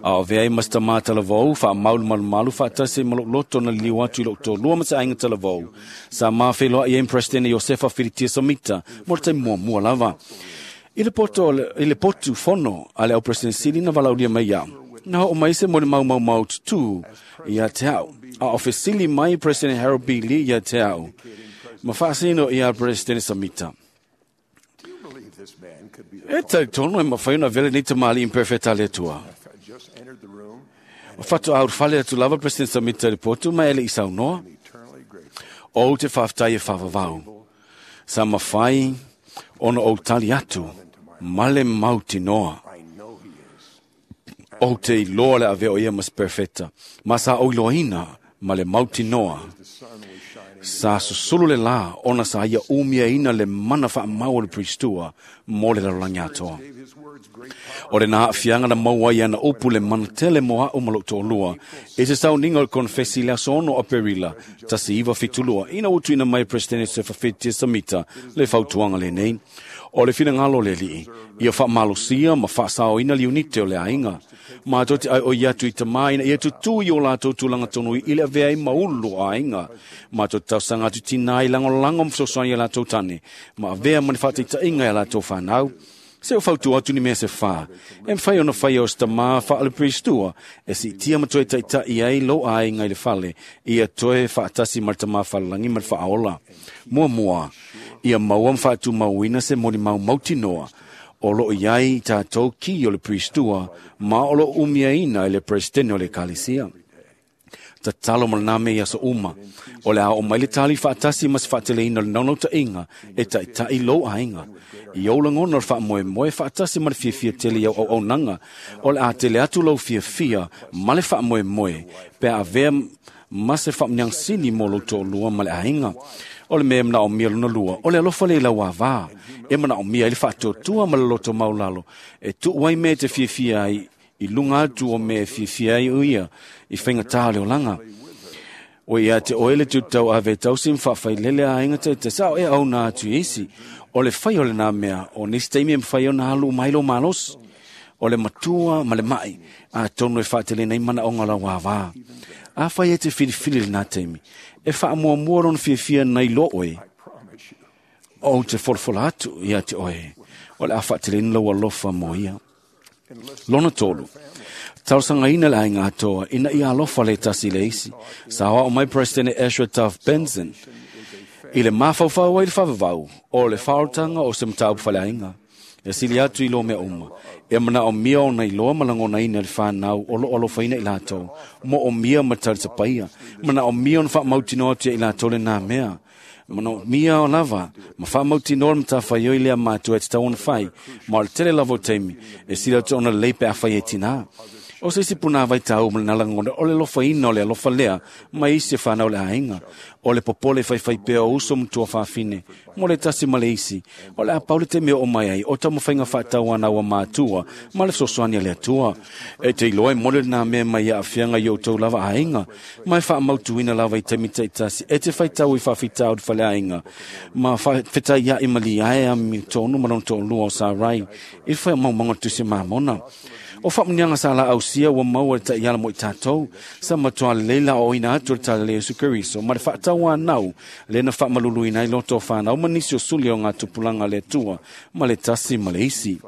A o avea ai ma se tamā talavou, faamau le malumalu faatasi ai ma lou loto na liliu atu i lou tōlua ma se aiga talavou. Sa mafeiloai ai ma Peresetene Iosefa Filitia Samita mo le taimi muamua lava. I le poto i le potu fono a le au President Sili na valaaulia mai ia'u, na oo mai se molimau tutū ia te a'u. A o fesili mai President Harold B. Lee ia te a'u, ma faasino ia President Samita. E talitonu e mafai ona avea lenei tamalii imperfeta a le Atua. O faatoa ulufale atu lava President Samita i le potu ma e le i saunoa. Ou te faafetai e faavavau. Sa mafai ona ou tali atu ma le mautinoa. Ou te iloa le avea o ia ma se perfeta, ma sa ou iloaina ma le mautinoa. Sa susulu le lā ona sa ia umiaina le mana faamau o le Priestua mo le lalolagi atoa. O lenā aafiaga na maua ai ana upu le mana tele mo a'u ma lou toalua i se sauniga o le konefesi i le aso 6 o Aperila 1972 ina ua tuuina mai e Peresetene Josefa Feti Samita le fautuaga lenei. O le finagalo le alii, ia faamalosia ma faasaoina le iunite o le aiga. Matou te aioi atu i tamā ina ia tutū i o latou tulaga tonu i le avea ai ma ulu o aiga. Matou te talosaga atu i tinā i lagolago ma fesoasoani i a latou tane, ma avea ma ni faataitaiga i a latou fanau. Se o fautua atu ni mea se fā, e mafai ona faia o se tamā faale-Peristua e siitia ma toe taitai ai lou aiga i le fale, ia toe faatasi ma le tamā falelagi ma le faaola. Muamua, ia maua ma faatumauina se molimau mautinoa o loo i ai tatou ki o le Peristua ma o loo umiaina e le Peresetene o le Ekalesia. Tatalo ma lena mea i aso uma, o le a oo mai le tali faatasi ma se faateleina o le naunautaiga e taitai lou aiga. I ou lagona o le faamoemoe faatasi ma le fiafia tele i au auaunaga, o le a tele atu lou fiafia ma le faamoemoe pe a avea ma se faamanuiaga sili mo lou toalua ma le aiga. O le mea e manaomia lona lua, o le alofa lea i lau avā, e manaomia ai le faatuatua ma le loto maulalo, e tuu ai mea e te fiafia ai i luga atu o mea e fiafia ai o ia i faigata o le olaga. O ia te oe le tutau ave e tausi ma faafailele aiga taitasi, a o e auna atu i isi. O le fai o lena mea, o nisi taimi e mafai ona alu uma ai lou malosi. O le matua ma le mai, atonu e faateleina ai manaoga o lau avā. Afai e te filifili lena taimi, e faamuamua lona fiafia nai lo oe, ou te folafola atu ia te oe, o le a faateleina lau alofa mo ia. Lona tolu, talosagaina le aiga atoa ina ia alofa le tasi le isi. Sa aoao mai President Ezra Taft Benson i le mafaufau ai le faavavau o le faaolataga o se mataupu faleaiga. E sili atu i lo mea uma, e manaomia ona iloa ma lagonaina le fanau o loo alofaina i latou, moomia ma talisapaia, manaomia ona faamautinoa atu ia i latou lena mea. Manaomia o lava, ma faamautinoa le matafaioi lea matua e tatau ona fai, ma o le tele lava o taimi, e sili atu ona lelei pe afai e tinā. O se isi punāvai tāu ma lena lagona, o le alofaina o le alofa lea, ma isi e whanau le aiga. O le popole faifai pea o uso ma tuafafine, mo le tasi ma le isi. O le a pau le taimi o mai ai, o taumafaiga faatauana ua matua, ma le fesoasoani a le Atua. E te iloa e mole lena mea mai ia aafiaga i outou lava aiga, ma e faamautuina lava i taimi taitasi, e te faitau i faafitauli faleaiga, ma fetaiai ma liae a tonu ma lona toalua o Sarai, i le faamaumauga o le Tusi Mamona. O faamanuiaga sa laausia ua maua le taiala mo i tatou, sa matua lelei la aoaoina atu o le Tala Iesu Keriso, ma le faatauanau le na faamaluluina ai loto o whanau ma nisi o suli o ngā tupulaga a le Atua, ma le tasi ma le isi.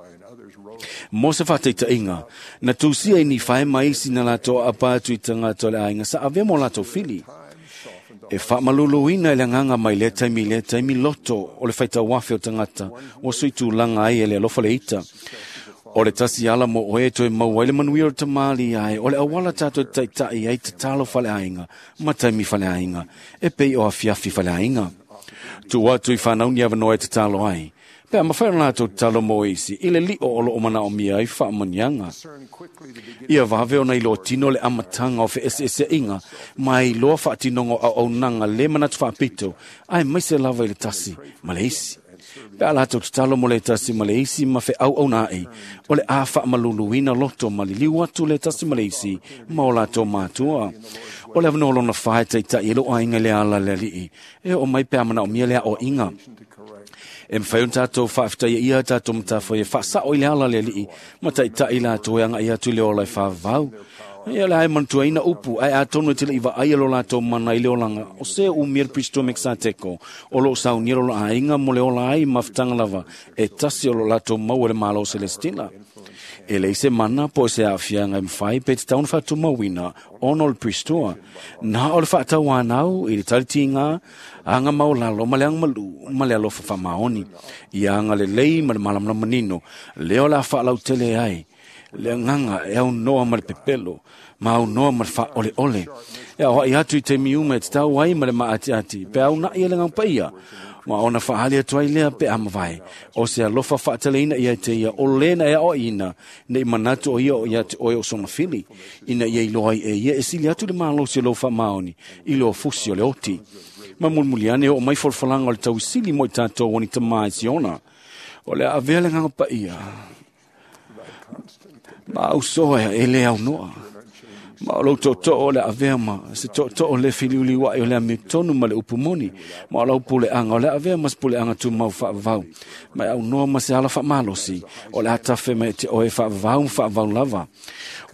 Mo se faataitaiga, na tusia i Nifae ma isi na latou aapa atu i tagata o le aiga sa avea mo latou fili. E faamaluluina i le agaga mai lea taimi i lea taimi loto o le faitauafe o tagata ua suitulaga ai e le alofa le ita. O le tasi ala mo oe e toe maua ai le manuia o le tamali ai, o le auala tatou te taitai ai tatalo faleaiga ma taimi faleaiga, e pei o afiafi faleaiga. Tuu atu i whanau ni avanoa e tatalo ai. Pe a mafai ona latou tatalo mo isi, i le lio o loo manaomia ai faamanuiaga. Ia vave ona iloa tino le amataga o feeseeseaiga ma e iloa faatinoga o auaunaga le manatu faapito, aemaise lava i le tasi ma le isi. Pe a latou tatalo mo le tasi ma le isi ma feauauna ai, o le a faamaluluina loto ma liliu atu le tasi ma le isi ma o latou matua. O le avanoa lona fā e taitai e lou aiga i le ala le alii, e oo mai pe a manaomia le aoaiga. E mafai ona tatou faafetaia ia tatou matafai e faasao i le ala le alii ma taitai latou e agai atu i le ola e faavavau. Ia le a e manatuaina upu, ae atonu e te lei vaaia lo latou mana i le olaga, o se umia le Pristo Mekisateko, o loo saunia lo la aiga mo le ola ai mafutaga lava, e tasi o lo latou maua le Malo Celestina. E leai se mana po o se aafiaga e mafai pe tatau ona faatumauina ona o le Pristoa. Na o le faatauanau i le talitiga, aga maolalo ma le agamalu ma le alofa faamaoni. Ia agalelei ma le malamalama manino, lea o le a faalautele ai le agaga e aunoa ma le pepelo, ma aunoa ma le faaoleole. E aoai atu i taimi uma e tatau ai ma le maatiati, pe aunai e le agaga paia, ma ona faali atu ai lea pe a mavae. O se alofa faateleina ia te ia, o lena e aoaiina, nei manatu o ia o ia te oe o sona fili, ina ia iloa ai e ia e sili atu le malosi o lou faamaoni, i le ofusi o le oti. Ma mulimuli ane oo mai folafolaga o le tauisili mo i tatou o ni tamā i Siona. O le a avea le agaga paia, ma ausoa e le aunoa, Ma o lou tootoo o le avea ma se tootoo le filiuliua'i o le amiotonu ma le upu moni. Ma o lau puleaga o le avea ma se puleaga tumau faavavau. Ma e aunoa ma se ala faamalosi o le a tafe mai te oe faavavau ma faavavau lava.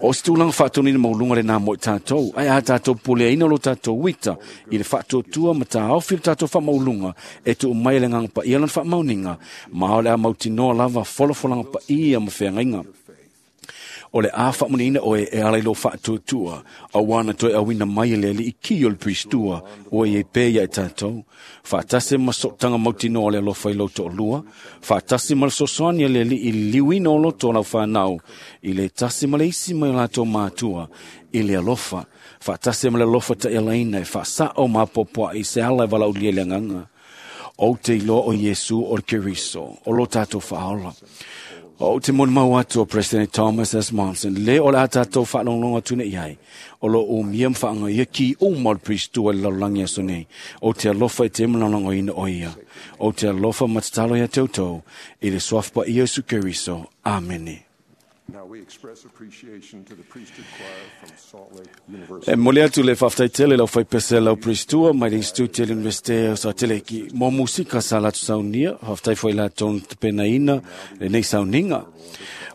O se tulaga faatonina mauluga lenā mo i tatou, ae a tatou puleaina o lo tatou uita i le faatuatua ma taofi le tatou faamauluga e tuu mai e le Agaga Paia lana faamaoniga, ma o le a mautinoa lava folafolaga paia ma feagaiga. O le a faamuniina oe e ala i lou faatuatua, auā na toe auina mai e le Alii ki o le Pristua ua iai pea ia i tatou. Faatasi ma sootaga mautinoa o le alofa i lou toalua, faatasi ma le fesoasoani a le Alii i le liuina o loto o lau fanau i le tasi ma le isi mai o latou matua i le alofa, faatasi ma le alofa taialaina e faasao ma apoapoai i se ala e valaaulia i le agaga. Ou te iloa o Iesu o le Keriso, o lo tatou faaola. Ou te molimau atu o President Thomas S. Monson, le o le a tatou faalogologo atu nei ai, o lo o umia ma faagaia ki uma o le Pristua i le lalolagi aso nei. Ou te alofa i te malagolagoina o ia. Ou te alofa ma tatalo ia te outou, i le suafa paia o Iesu Keriso. Amene. Now we express appreciation to the priesthood choir from Salt Lake University. E momoli atu le faafetai tele i le aufaipese lau Pristua mai le Institute le Universite o Sateleki mo musika sa latou saunia, faafetai foi i latou na tapenaina lenei sauniga.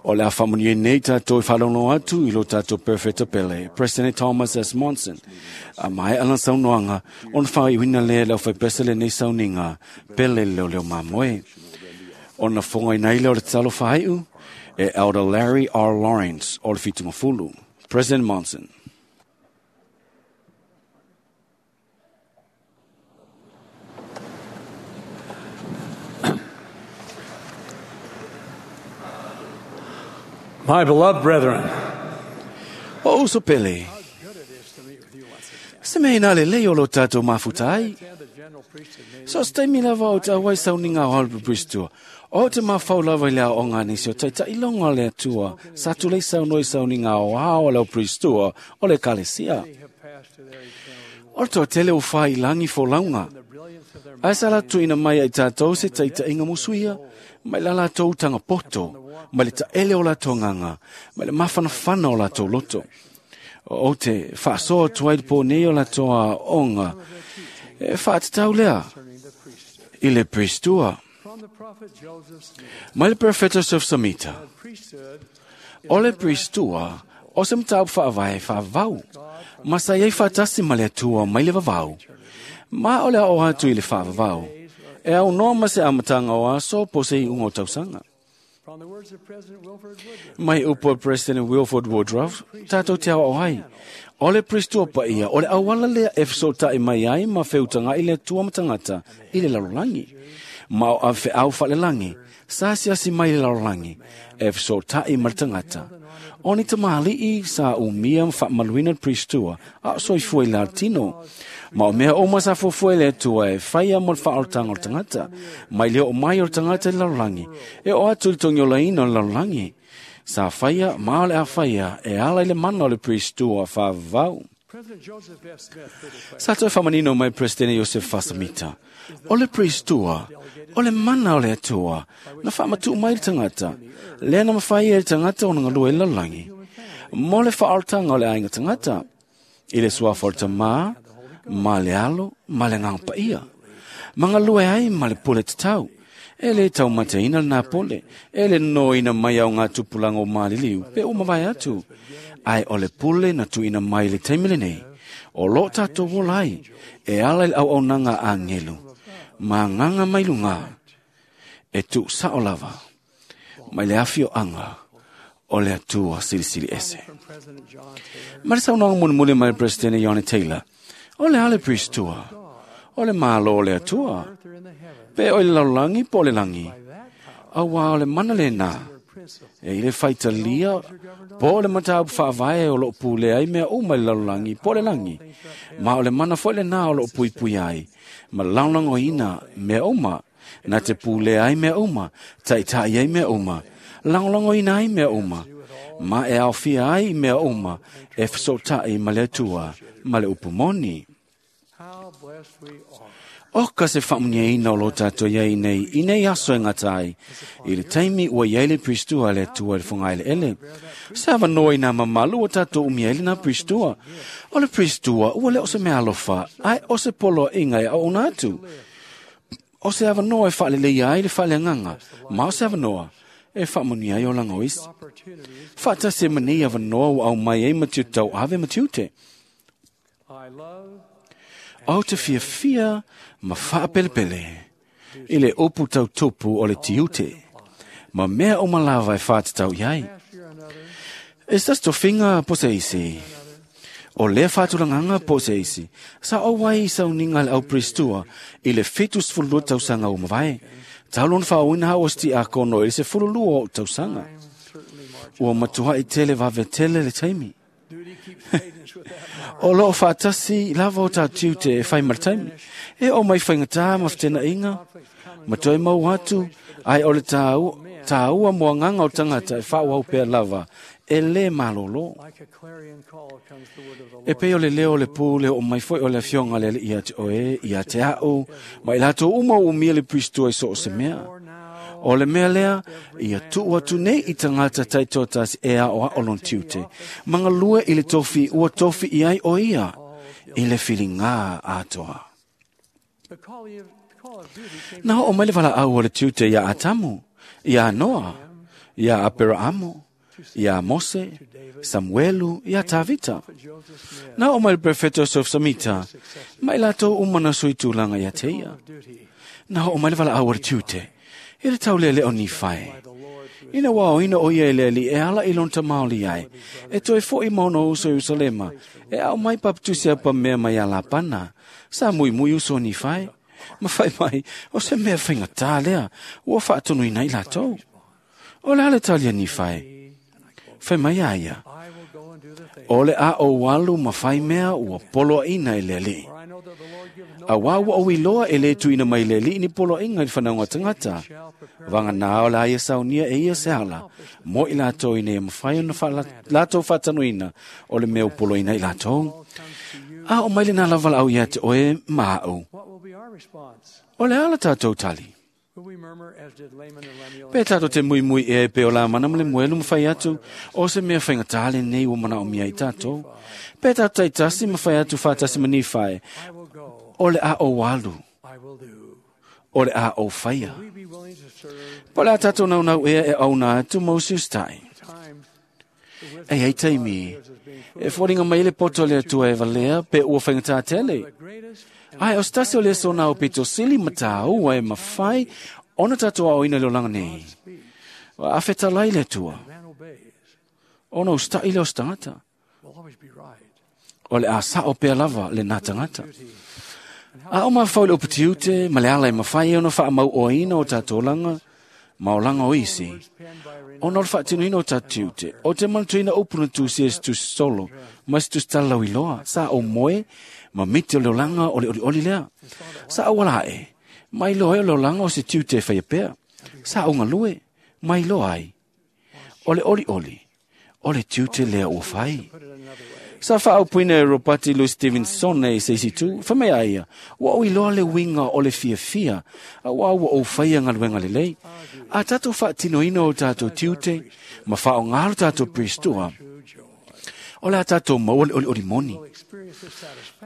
O le a faamanuia nei tatou i faalogologo atu i lo tatou Perofeta pele, President Thomas S. Monson. A maea lana saunoaga, ona faaiuina lea e le aufaipese lenei sauniga pele le leoleo mamoe. Ona fogaina ai lea o le tatalo faaiu e Elder Larry R. Lawrence o le Fitumafulu. President Monson. My beloved brethren, O uso pele, se mea ina lelei o lo tatou mafuta ai. So se taimi lava o te auai sauniga o Hollywood Bristua, o te mafau lava i le aoga a nisi o taitailoga o le Atua, sa tulei saunoa i sauniga aoao a le au Bristua o le Ekalesia. O le toatele ua fai i lagi folauga, ae sa latou tuuina mai ai tatou se taitaiga musuia, mai la latou utaga poto, mai le taele o latou agaga, mai le mafanafana o latou loto. Ou te faasoa atu ai le po nei o latou aoga e faatatau lea i le Pristua. Mai le Perofeta Joseph Samita, o le Pristua o se mataupu faavae faavavau, ma sa i ai faatasi ma le Atua mai le vavau, ma o le aoao atu i le faavavau, e aunoa ma se amataga o aso po o se iuga o tausaga. Mai upu a President Wilford Woodruff, tatou te aoao ai, o le Pristua paia, o le auala lea e fesootai mai ai ma feutaga'i le Atua ma tagata i le lalolagi. Ma o avefeau faalelagi, sa asiasi mai i le lalolagi, e fesootai ma le tagata. O ni tamalii sa umia ma faamaluina le Pristua, a o soifua i le tino. Ma o mea uma sa fuafua e le Atua e faia mo le faaolataga o le tagata, mai le oo mai o le tagata i le lalolagi, e oo atu i le togiolaina o le lalolagi. Sa faia ma o le a faia e ala i le mana o le Pristua faavavau. Sa toe faamanino mai Presidene Iosef Fasamita, o le Pristua, o le mana o le Atua, na faamatuu mai le tagata, lea na mafai e le tagata ona galue i le lalolagi, mo le faaolataga o le aiga tagata, i le suafa o le Tamā, ma le Alo, ma le Agaga Paia. Ma galue ai ma le pule tatau, e le taumateina lenā pule, e le nonoina mai au ngā tupulaga o maliliu, pe ua mavae atu. Ae o le pule na tuuina mai i le taimi lenei, o lo o tatou ola ai, e ala i le auaunaga a agelu, ma agaga mai luga, e tuusao lava, mai le afioaga o le Atua Silisili Ese. Ma le saunoaga mulimuli mai le Peresetene Ione Taylor, o le a le Pristua, o le Malo o le Atua, pe o i le lalolagi po o le lagi, auā o le mana lenā, e i le faitalia po o le mataupu faavae o loo pulea ai mea uma i le lalolagi po o le lagi, ma o le mana foi lenā o loo puipuia ai, ma lagolagoina mea uma, na te pulea ai mea uma, taitai ai mea uma, lagolagoina ai mea uma, ma e aofia ai mea uma e fesootai ma le Atua ma le upu moni. O ka se whaamuniaina o lo tātou iai nei, i nei aso e ngata ai. I le taimi ua iai le Pristua le atua le whangaile ele. Sa wanoa i nā mamalu o tātou umia ele nā Pristua. O le Pristua, ua le o se mea alofa, ai o se polo inga e au ona atu. O se awanoa e whaalelei ai le whaaleanganga, ma o se awanoa e whaamunia ai o langa o isi. Whaatasi e mani awanoa o au mai e matiu tau ave matiu te. O te fia fia ma whaapelepele i le upu tau tupu o le tiute, ma mea o malawa e whaatatau iai. E sas to finga po se isi. O lea whaatulanganga po se isi. Sa o wai i sauninga le au pristua i le 72 tausanga o mawai. Taulon whaoina hao sti a kono i se fululua o tausanga. Ua matua i tele wawe tele le taimi. O loo whaatasi lava o tā tiute e whai marataimi. E o mai whaingatā ma whitena inga. Ma toi mau atu, ai o le tāua mua nganga o tangata e whaau pea lava e le malolo. E pei o le leo le pū le o mai foi o le afionga le ia te oe, ia te au, ma i lato uma o umia le pristua i so o se mea. O le mea lea, ia tuu atu nei i tangata taitoatasi e a o a olon tiute. Manga lua i le tofi ua tofi i ai o ia, i le whilinga atoa. Na o mai le wala au o le tiute ia Atamu, ia Noa, ia Aperaamo, ia Mose, Samuelu, ia Tavita. Na o mai le prefeto Joseph Samita, mai lato umana sui tūlanga ia te ia. Na o mai le wala au o le tiute, e le tau lele o ni whai. Ina wao ina o ia leli e ala i lonta maoli ai. E toi fo i mauna uso Yerusalema. E au mai paptusi apa mea mai ala pana. Sa mui mui uso ni whai. Ma whai mai, o se mea whainga tā lea, ua whaatonu ina i lātou. O le ale talia ni whai. Whai mai a ia. O le a o walu ma whai mea ua polo ina i lele. A wā ua o iloa e le tuina mai lele ni polo inga i whanau tangata. Wanga nā o la ia saunia e ia se ala. Mo i lātou ina ia mawhai ona lātou whātanuina o le mea o polo ina i lātou. A o maile nā lawala au ia te oe maa au. O le ala tātou tali. Pe tātou te mui mui e pe o la mana mle muelu mwhai atu, o se mea whainga tāle nei o mana o mia i tātou. Pe tātou tai tasi mwhai atu whātasi mani whai, o le a o walu, o le a o whaia. Po le a tātou nau nau ea e au nā atu Moses tai. E hei taimi, e fōringa mai le poto le atua e valea pe ua whainga tātele. Ai, o stasi o le sona o pito sili matau e mawhai ona tātou au ina leo langa nei. A whetalai le atua. Ona o stai le o stangata. O le a sao pea lava le nā tangata. A o mawhau le uputiute, ma le ala e mawhai e ona wha mau o ina o tātou langa, ma o langa o isi. Ona o le whaatinuina o tātiute, o te manatuina upuna tūsi e tu solo, ma se tusi talau iloa, sa o moe, ma miti o leo langa o le oli oli lea. Sa au ala e, mai loa e o leo langa o se tiute e whaia pea. Sa au ngalue, mai loa ai. O le oli oli, o le tiute lea ua whai. Sa whaau puina e Robati Louis Stevenson e seisi tu, whamea aia, ua o iloa le winga o le fia fia, a ua ua o whaia ngaluenga lelei. A tātou whaatinoina o tātou tiute, ma whao ngalo tātou pristua. O le a tātou maua le oli oli moni.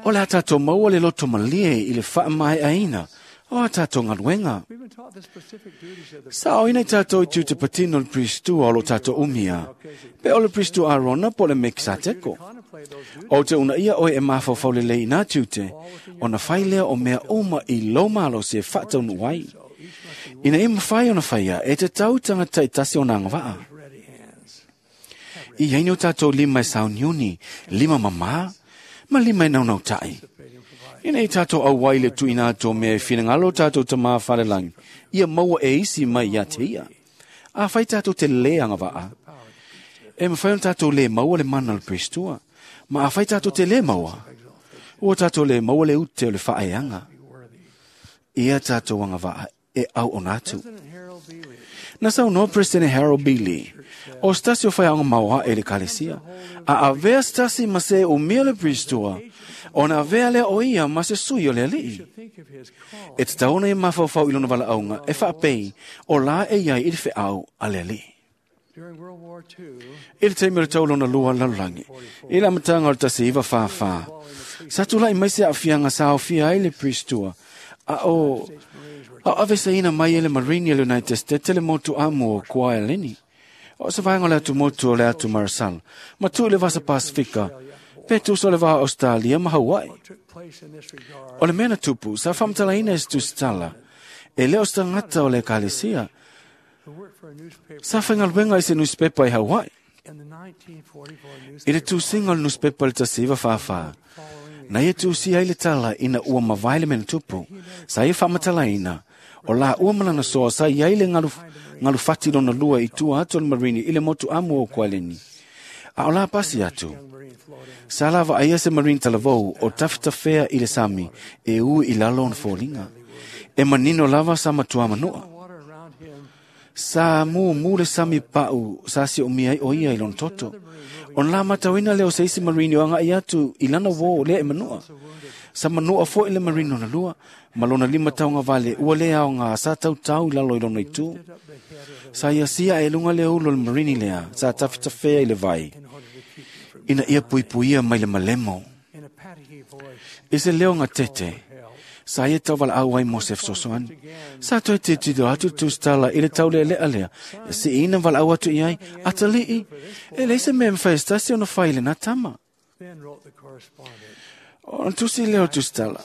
O le a tātou maua le loto malie i le whaamai aina. O a tātou ngaluenga. Sa o ina i tātou i tiute patino le pristua o lo tātou umia. Pe o le pristua Arona po le Mekisateko. O te una ia oe e mawhawhau le lei nā tiute, o na whai lea o mea uma i lo malo se whataunu wai. Ina e mawhai o na whaia, e te tau tangata i tasi o nā ngawaa. I haini o tātou lima e sauniuni, lima mamā, ma lima e naunau tai. Ina i tātou au wai le tuina tō mea e whinangalo tātou ta mā wharelangi, ia maua e isi mai ia te ia. A whai tātou te le angawaa. E mwhai o tātou le maua le mana le pristua, ma a whai tātou te le maua. Ua tātou le maua le ute o le whaeanga. Ia tātou angawaa e au o nātu. Na saunoa President Harold B. Lee, o se tasi o faiaoga maoaʻe i le Ekalesia, a avea se tasi ma se umia le Priestua, ona avea lea o ia ma se sui o le Alii. E tatau ona ia mafaufau i lona valaauga e faapei o la e iai i le feau a le Alii. I le taimi o le tau lona lua lalolagi, i le amataga o le 1944, sa tulaʻi mai se aafiaga sa aofia ai le Priestua, a o aveseina mai e le Marine a le United States le motu amu o Kwajalein. O se vaega o le atumotu o le atu Marasala, ma tuu i le Vasa Pasifika, pe tusa o le va o Australia ma Hawaii. O le mea na tupu, sa faamatalaina e se tusitala, e le o se tagata o le Ekalesia, sa faigaluega i se newspaper i Hawaii. I le tusiga o le newspaper i le 1944, na ia tusia ai le tala ina ua mavae le mea na tupu, sa ia faamatalaina, o laua ma lana soa sa iai le galufati lona lua i tua atu o le Marine i le motu amu o Kwajalein. A o la pasi atu, sa lavaaia se Marine talavou o tafetafea i le sami e ui i lalo ona foliga. E manino lava sa matua manua. Sa mumu le sami pau sa siomia ai o ia i lona toto. Ona la matauina lea o se isi Marine o agai atu i lana uō lea e manua. Sa manua foi le Marine lona lua, ma lona lima taugavale ua le aoga sa tautau i lalo i lona itu. Sa ia sia e luga le ulu o le Marine lea sa tafetafea i le vai, ina ia puipuia mai le malemo. I se leo gatete, sa ia tauvalaau ai mo se fesoasoani. Sa toe tilotilo atu le tusitala i le taulealea lea, e siina valaau atu i ai, atalii, e leai se mea e mafai e se tasi ona fai i lena tama. Ona tusi lea o le tusitala,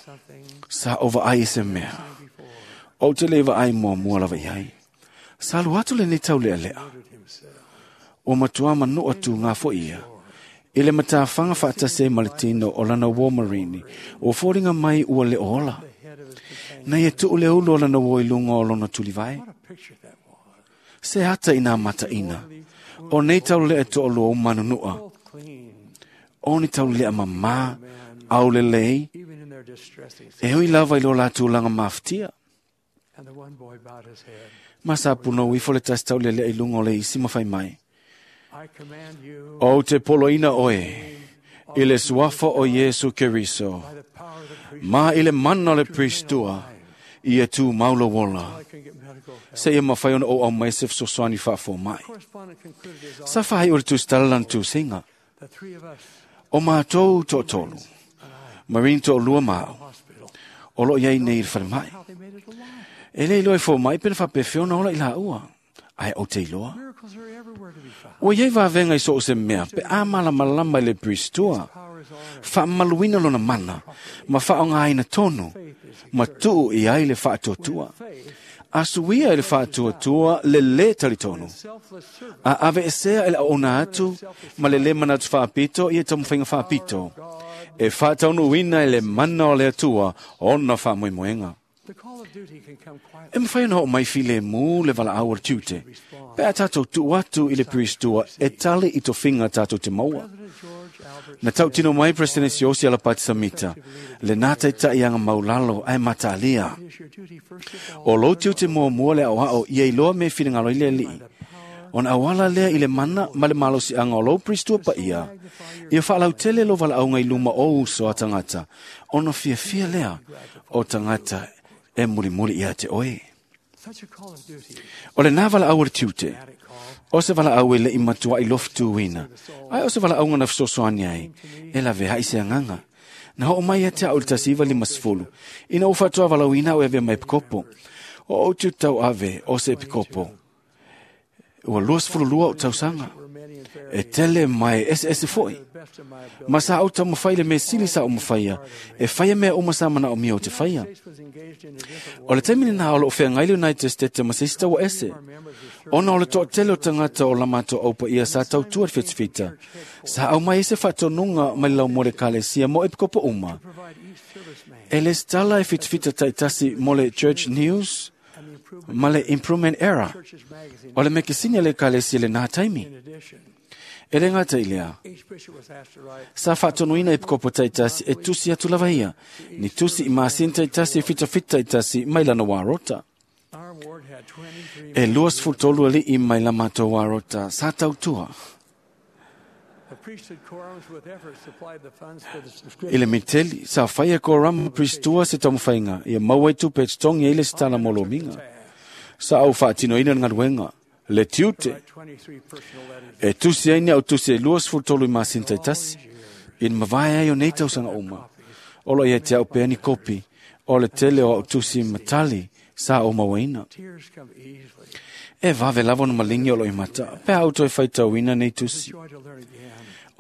sa ou vaai i se mea, ou te le vaai muamua lava i ai. Sa alu atu lenei taulealea, ua matua manua tugā foi ia, i le matafaga faatasi ai ma le tino o lana uō Marine, ua foliga mai ua le o ola. Na ia tuu le ulu o lana uō i luga o lona tulivae. Se ata i nā mataina, o nei taulelea toalua ua manunua, o ni taulelea mamā, aulelei, e ui lava i lo latou tulaga mafatia. Ma sa punou ifo le tasi taulelea i luga o le isi ma fai mai, Ou te poloina oe i le suafa o Iesu Keriso, ma i le mana o le Priestua, ia tumau lou ola, seia mafai ona ou aumai se fesoasoani faafomai. Sa faaiu le tusitala lana tusiga, O matou toatolu, Marine toalua ma au, o lo o i ai nei i le falemai. E le iloa e fomai pe na faapefea ona ola i laua, ae ou te iloa. Ua i ai vavega i so o se mea pe a malamalama i le Priestua, faamamaluina lona mana ma faaaogaina tonu ma tuu i ai le faatuatua. A suia e le faatuatua le lē talitonu, a aveesea e le auauna atu ma le lē manatu faapito ia taumafaiga faapito, e faataunuuina e le mana o le Atua ona faamoemoega. E mafai ona oo mai filemu le valaau o le tiute, pe a tatou tuu atu i le Priestua e tali i tofiga tatou te maua. Na tautino mai President Siaosi Alapati Samita, lenā taitaiaga maulalo ae mataalia. O lou tiute muamua le aoao ia iloa me finagalo i le Alii, ona auala lea i le mana ma le malosiaga o lou Priestua paia, ia faalautele lou valaauga i luma o uso a tagata, ona fiafia lea o tagata e mulimuli ia te oe. O lenā valaau o le tiute, o se valaau e leʻi matuaʻi lofutuina, ae o se valaauga na fesoasoani ai, e laveai se agaga. Na oo mai ia te au i le 1950, ina ua faatoavalauina au e avea ma epikopo. O ou tiute tauave o se epikopo, ua 22 ou tausaga. E tele ma e eseese foi. Ma sa ou taumafai i le mea sili sa ou mafaia, e faia mea uma sa manaomia ou te faia. O le taimi lenā o loo feagai le United States ma se isi taua ese. Ona o le toatele o tagata o la matou au paia sa tautua i le fetafita, sa aumai ai se faatonuga mai le laumua o le Ekalesia mo epikopo uma. E lesitala e fitafita taitasi mo le Church News ma le Improvement Era o le mekesini a le Ekalesia i lenā taimi. E le gata i lea, sa faatonuina epikopo taitasi e tusi atu lava ia, ni tusi i masini taitasi e fitafita taitasi mai lana warota. E 23 ali'i mai la matou arota sa tautua. I le miteli, sa faia korama pristua se taumafaiga, ia maua ai tupe e totogi ai le sitala mo lomiga. Sa au faatinoina le galuega, le tiute, e tusi ai ni au tusi e 23 i masina taitasi, i le mavae ai o nei tausaga uma. O lo ia te au pea ni kopi, o le tele o au tusi matali sa o mauaina. E vave lava ona maligi o lo i mata, pe au toe faitauina nei tusi.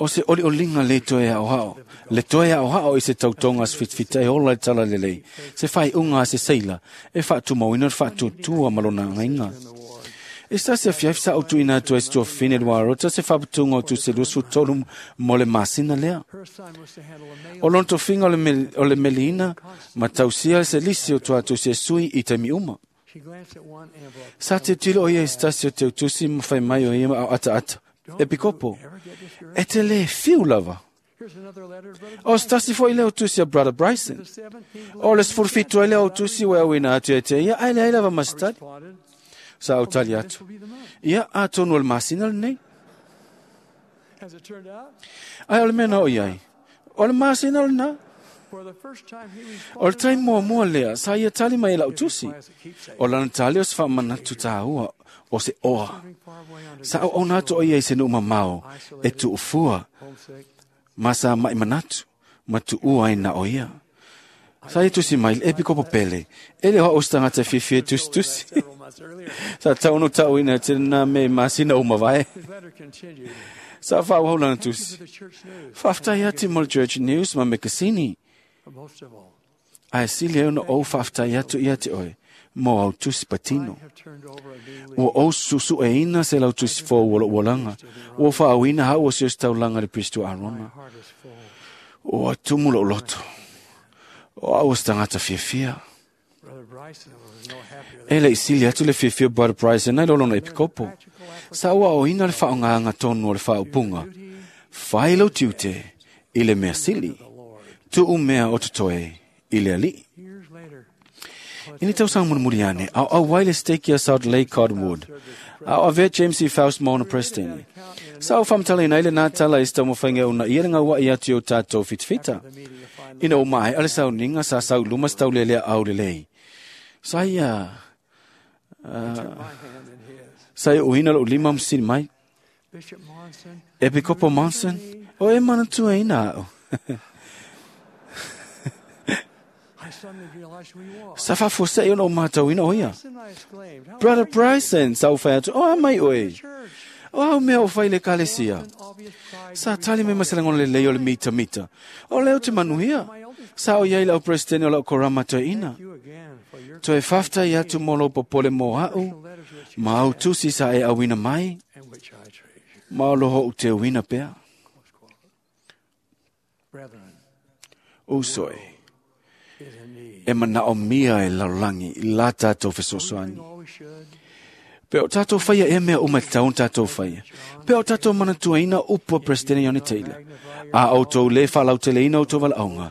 O se olioliga le toe aoao, le toe aoao i se tautoga se fitafita e ola i tala lelei, se faaiuga a se seila, e faatumauina le faatuatua ma lona agaiga. E se tasi afiafi sa ou tuuina atu ai se tuafafine luarota se faaputuga o tusi e 23 mo le masina lea. O lona tofiga o le meliina ma tausia se lisi o tuatusi e sui i taimi uma. Sa tilotilo o ia i se tasi o teutusi ma fai mai o ia au ataata. E pikopo, e te le fiu lava. O se tasi foi lea o tusi a Brother Bryson. O le 17 ai lea o tusi ua auina atu e te ia, ai leai lava ma se tali. Sa au tali atu. Ia, atonu o le masina lenei. Ai o le mea na o iai. O le masina lena. O le taimi muamua lea, sa ia tali mai e lau tusi. O lana tali o se faamanatu tāua, o se oa. Sa auauna atu o ia i se nuu mamao, e tuufua, ma sa mai manatu, ma tuua ai na o ia. Sa ia tusi mai, e pikopo pele, e le hoa o se tagata e fiafia e tusitusi. Sa taunu tauina te nā me masina o mavae. Sa faaauau lana tusi. Faafetai atu mo le Church News ma mekasini. Ae sili ai ona ou faafetai atu ia te oe, mo au tusi patino. Ua ou susueina se lau tusi fou o lou olaga, ua faaauina hau o se ositaulaga i le Pristo Arona. Ua tumu lou loto, o au o se tagata fiafia. E le i sili atu le fiafia o Brother Bryson ai lo lona epikopo. Sa ua aoina le faaaogaga tonu o le faaupuga. Fai lou tiute i le mea sili. Tuu mea o totoe i le alii. I ni tausaga mulimuli ane, a o auai le stake ia Salt Lake Cottonwood, a o avea James C. Faust ma ona presidente. Sa o faamatalaina ai lenā tala i se taumafaiga e uunaia le gaua'i atu i o tatou fitafita. Ina ua maea le sauniga sa sau i luma se taulelea aulelei. Sa ia sa ia uina lou lima ma fesili mai. Epikopo Monson, o e manatuaina a'u. Sa faafuasei ona ou matauina o ia. Brother Bryson, sa ou fai atu, o a mai oe. O au mea o fai i le ekalesia. Sa tali mai ma se lagona lelei o le mitamita. O lea ou te manuia. Sa o iai lau presidente o lau korama toeaina. Toe faafetai atu mo lou popole mo a'u, ma au tusi sa e auina mai, ma o loho ou teuina pea. Uso e, e manaomia e lalolagi i la tatou fesoasoani. Pe o tatou faia ea mea uma e tatau ona tatou faia. Pe o tatou manatuaina upu a Peresetene Ione Taylor. A outou lē faalauteleina outou valaauga,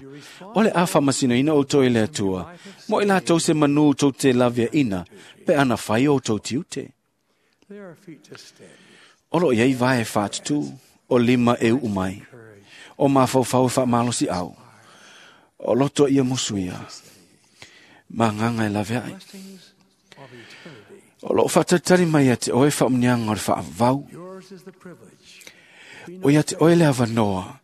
o le a faamasinoina outou e le Atua, mo i latou se manū tou te laveaina pe ana fai outou tiute. O lo o i ai vae faatutū, o lima e uu mai, o mafaufau e faamalosiau, o loto ia musu ia, ma agaga e laveai. O loo faatalitali mai ia te oe faamuniaga o le faavavau. O ia te oe le avanoa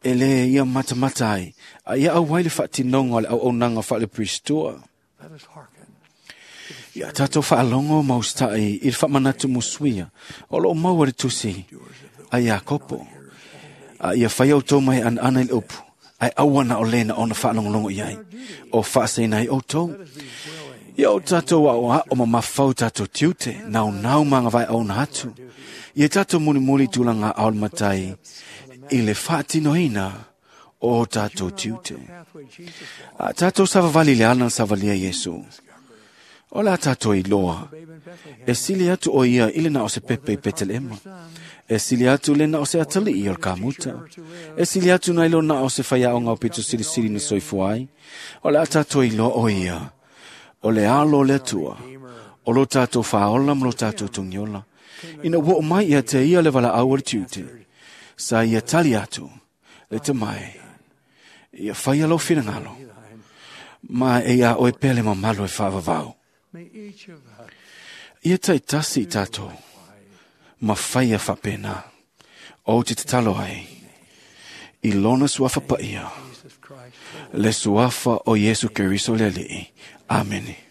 e lē ia matamata ai, a ia auai le faatinoga o le auaunaga faale-Perisitoa. Ia tatou faalogo ma usitaʻi i le faamanatu musuia o loo maua i le tusi a Iakopo. A ia faia outou mai anaana i le upu, ae aua na o lē na ona faalogologo i ai, o faasaina ai outou. Ia o tatou aoao ma mafau tatou tiute, naunau ma agavae auna atu. Ia tatou mulimuli i tulaga ao le matai i le faatinoina o tatou tiute. A tatou savavali i le ala na savalia Iesu. O le a tatou iloa, e sili atu o ia i le na o se pepe i Petelema. E sili atu le na o se atalii o le kamuta. E sili atu nai lo na o se faiaoga o pito silisili na soifua ai. O le a tatou iloa o ia, o le alo o le Atua, O lo tātou whaola ma lo tātou tungiola. Ina ua o mai ia te ia le wala au o le tiute. Sa ia tali atu, le te mai. Ia whai alo whirangalo. Ma e ia oe pele mamalo e whaavavau. Ia tai tasi i tātou. Ma whai a whapena. O te tatalo ai. I lona suafa paia. Le suafa o Yesu Keriso le alii. Amene.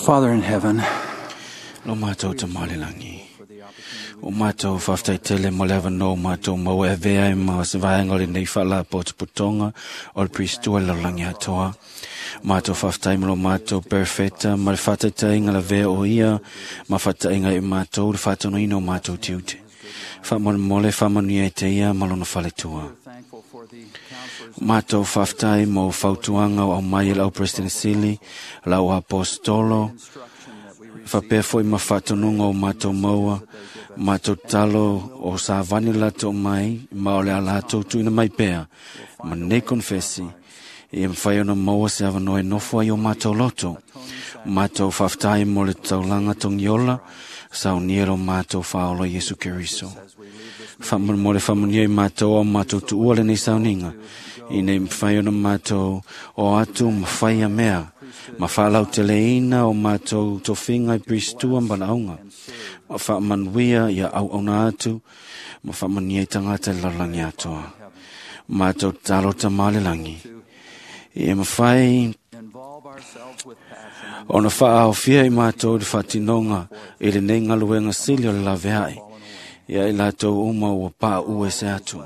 Father in heaven, Lo mātou tamale langi. O mātou whaftai tele mo lewa no mātou mau e vea e ma se vaenga le nei whala po te putonga o le pristua le langi atoa. Mātou whaftai mo lo mātou perfecta ma le whataitainga la vea o ia ma whatainga i mātou le whatono ino mātou tiute. Whamole whamania e te ia malona whaletua. Mātou whaftai mo fautuanga o mai lau President Sili, lau apostolo, whapea foi ma whatonunga o mātou maua, mātou talo o sa vani lato mai, ma o le a latou tuina mai pea, ma nei konfesi, i mwhai ona maua se awanoe nofo ai o mātou loto. Mātou whaftai mo le taulanga tongiola, sa o niero mātou whaolo Yesu Keriso. Whamon le whamonia i mātou o mātou tuua le nei sauninga, i nei mwhai ona mātou o atu mwhai a mea, ma whalau te leina o mātou tofinga i pristua mbanaunga, ma whaamanuia ia au auna atu, ma whaamania i tangata i lalangi atoa. Mātou talo tamale langi. I e mwhai ona whaaofia i mātou le whatinonga i le nei ngaluenga sili o le laveai, ia i lātou uma ua pā ue se atu.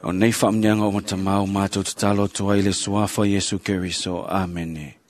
O nei whaamnianga o matamau mātou te talo tua i le suafa Yesu Keriso. Amene.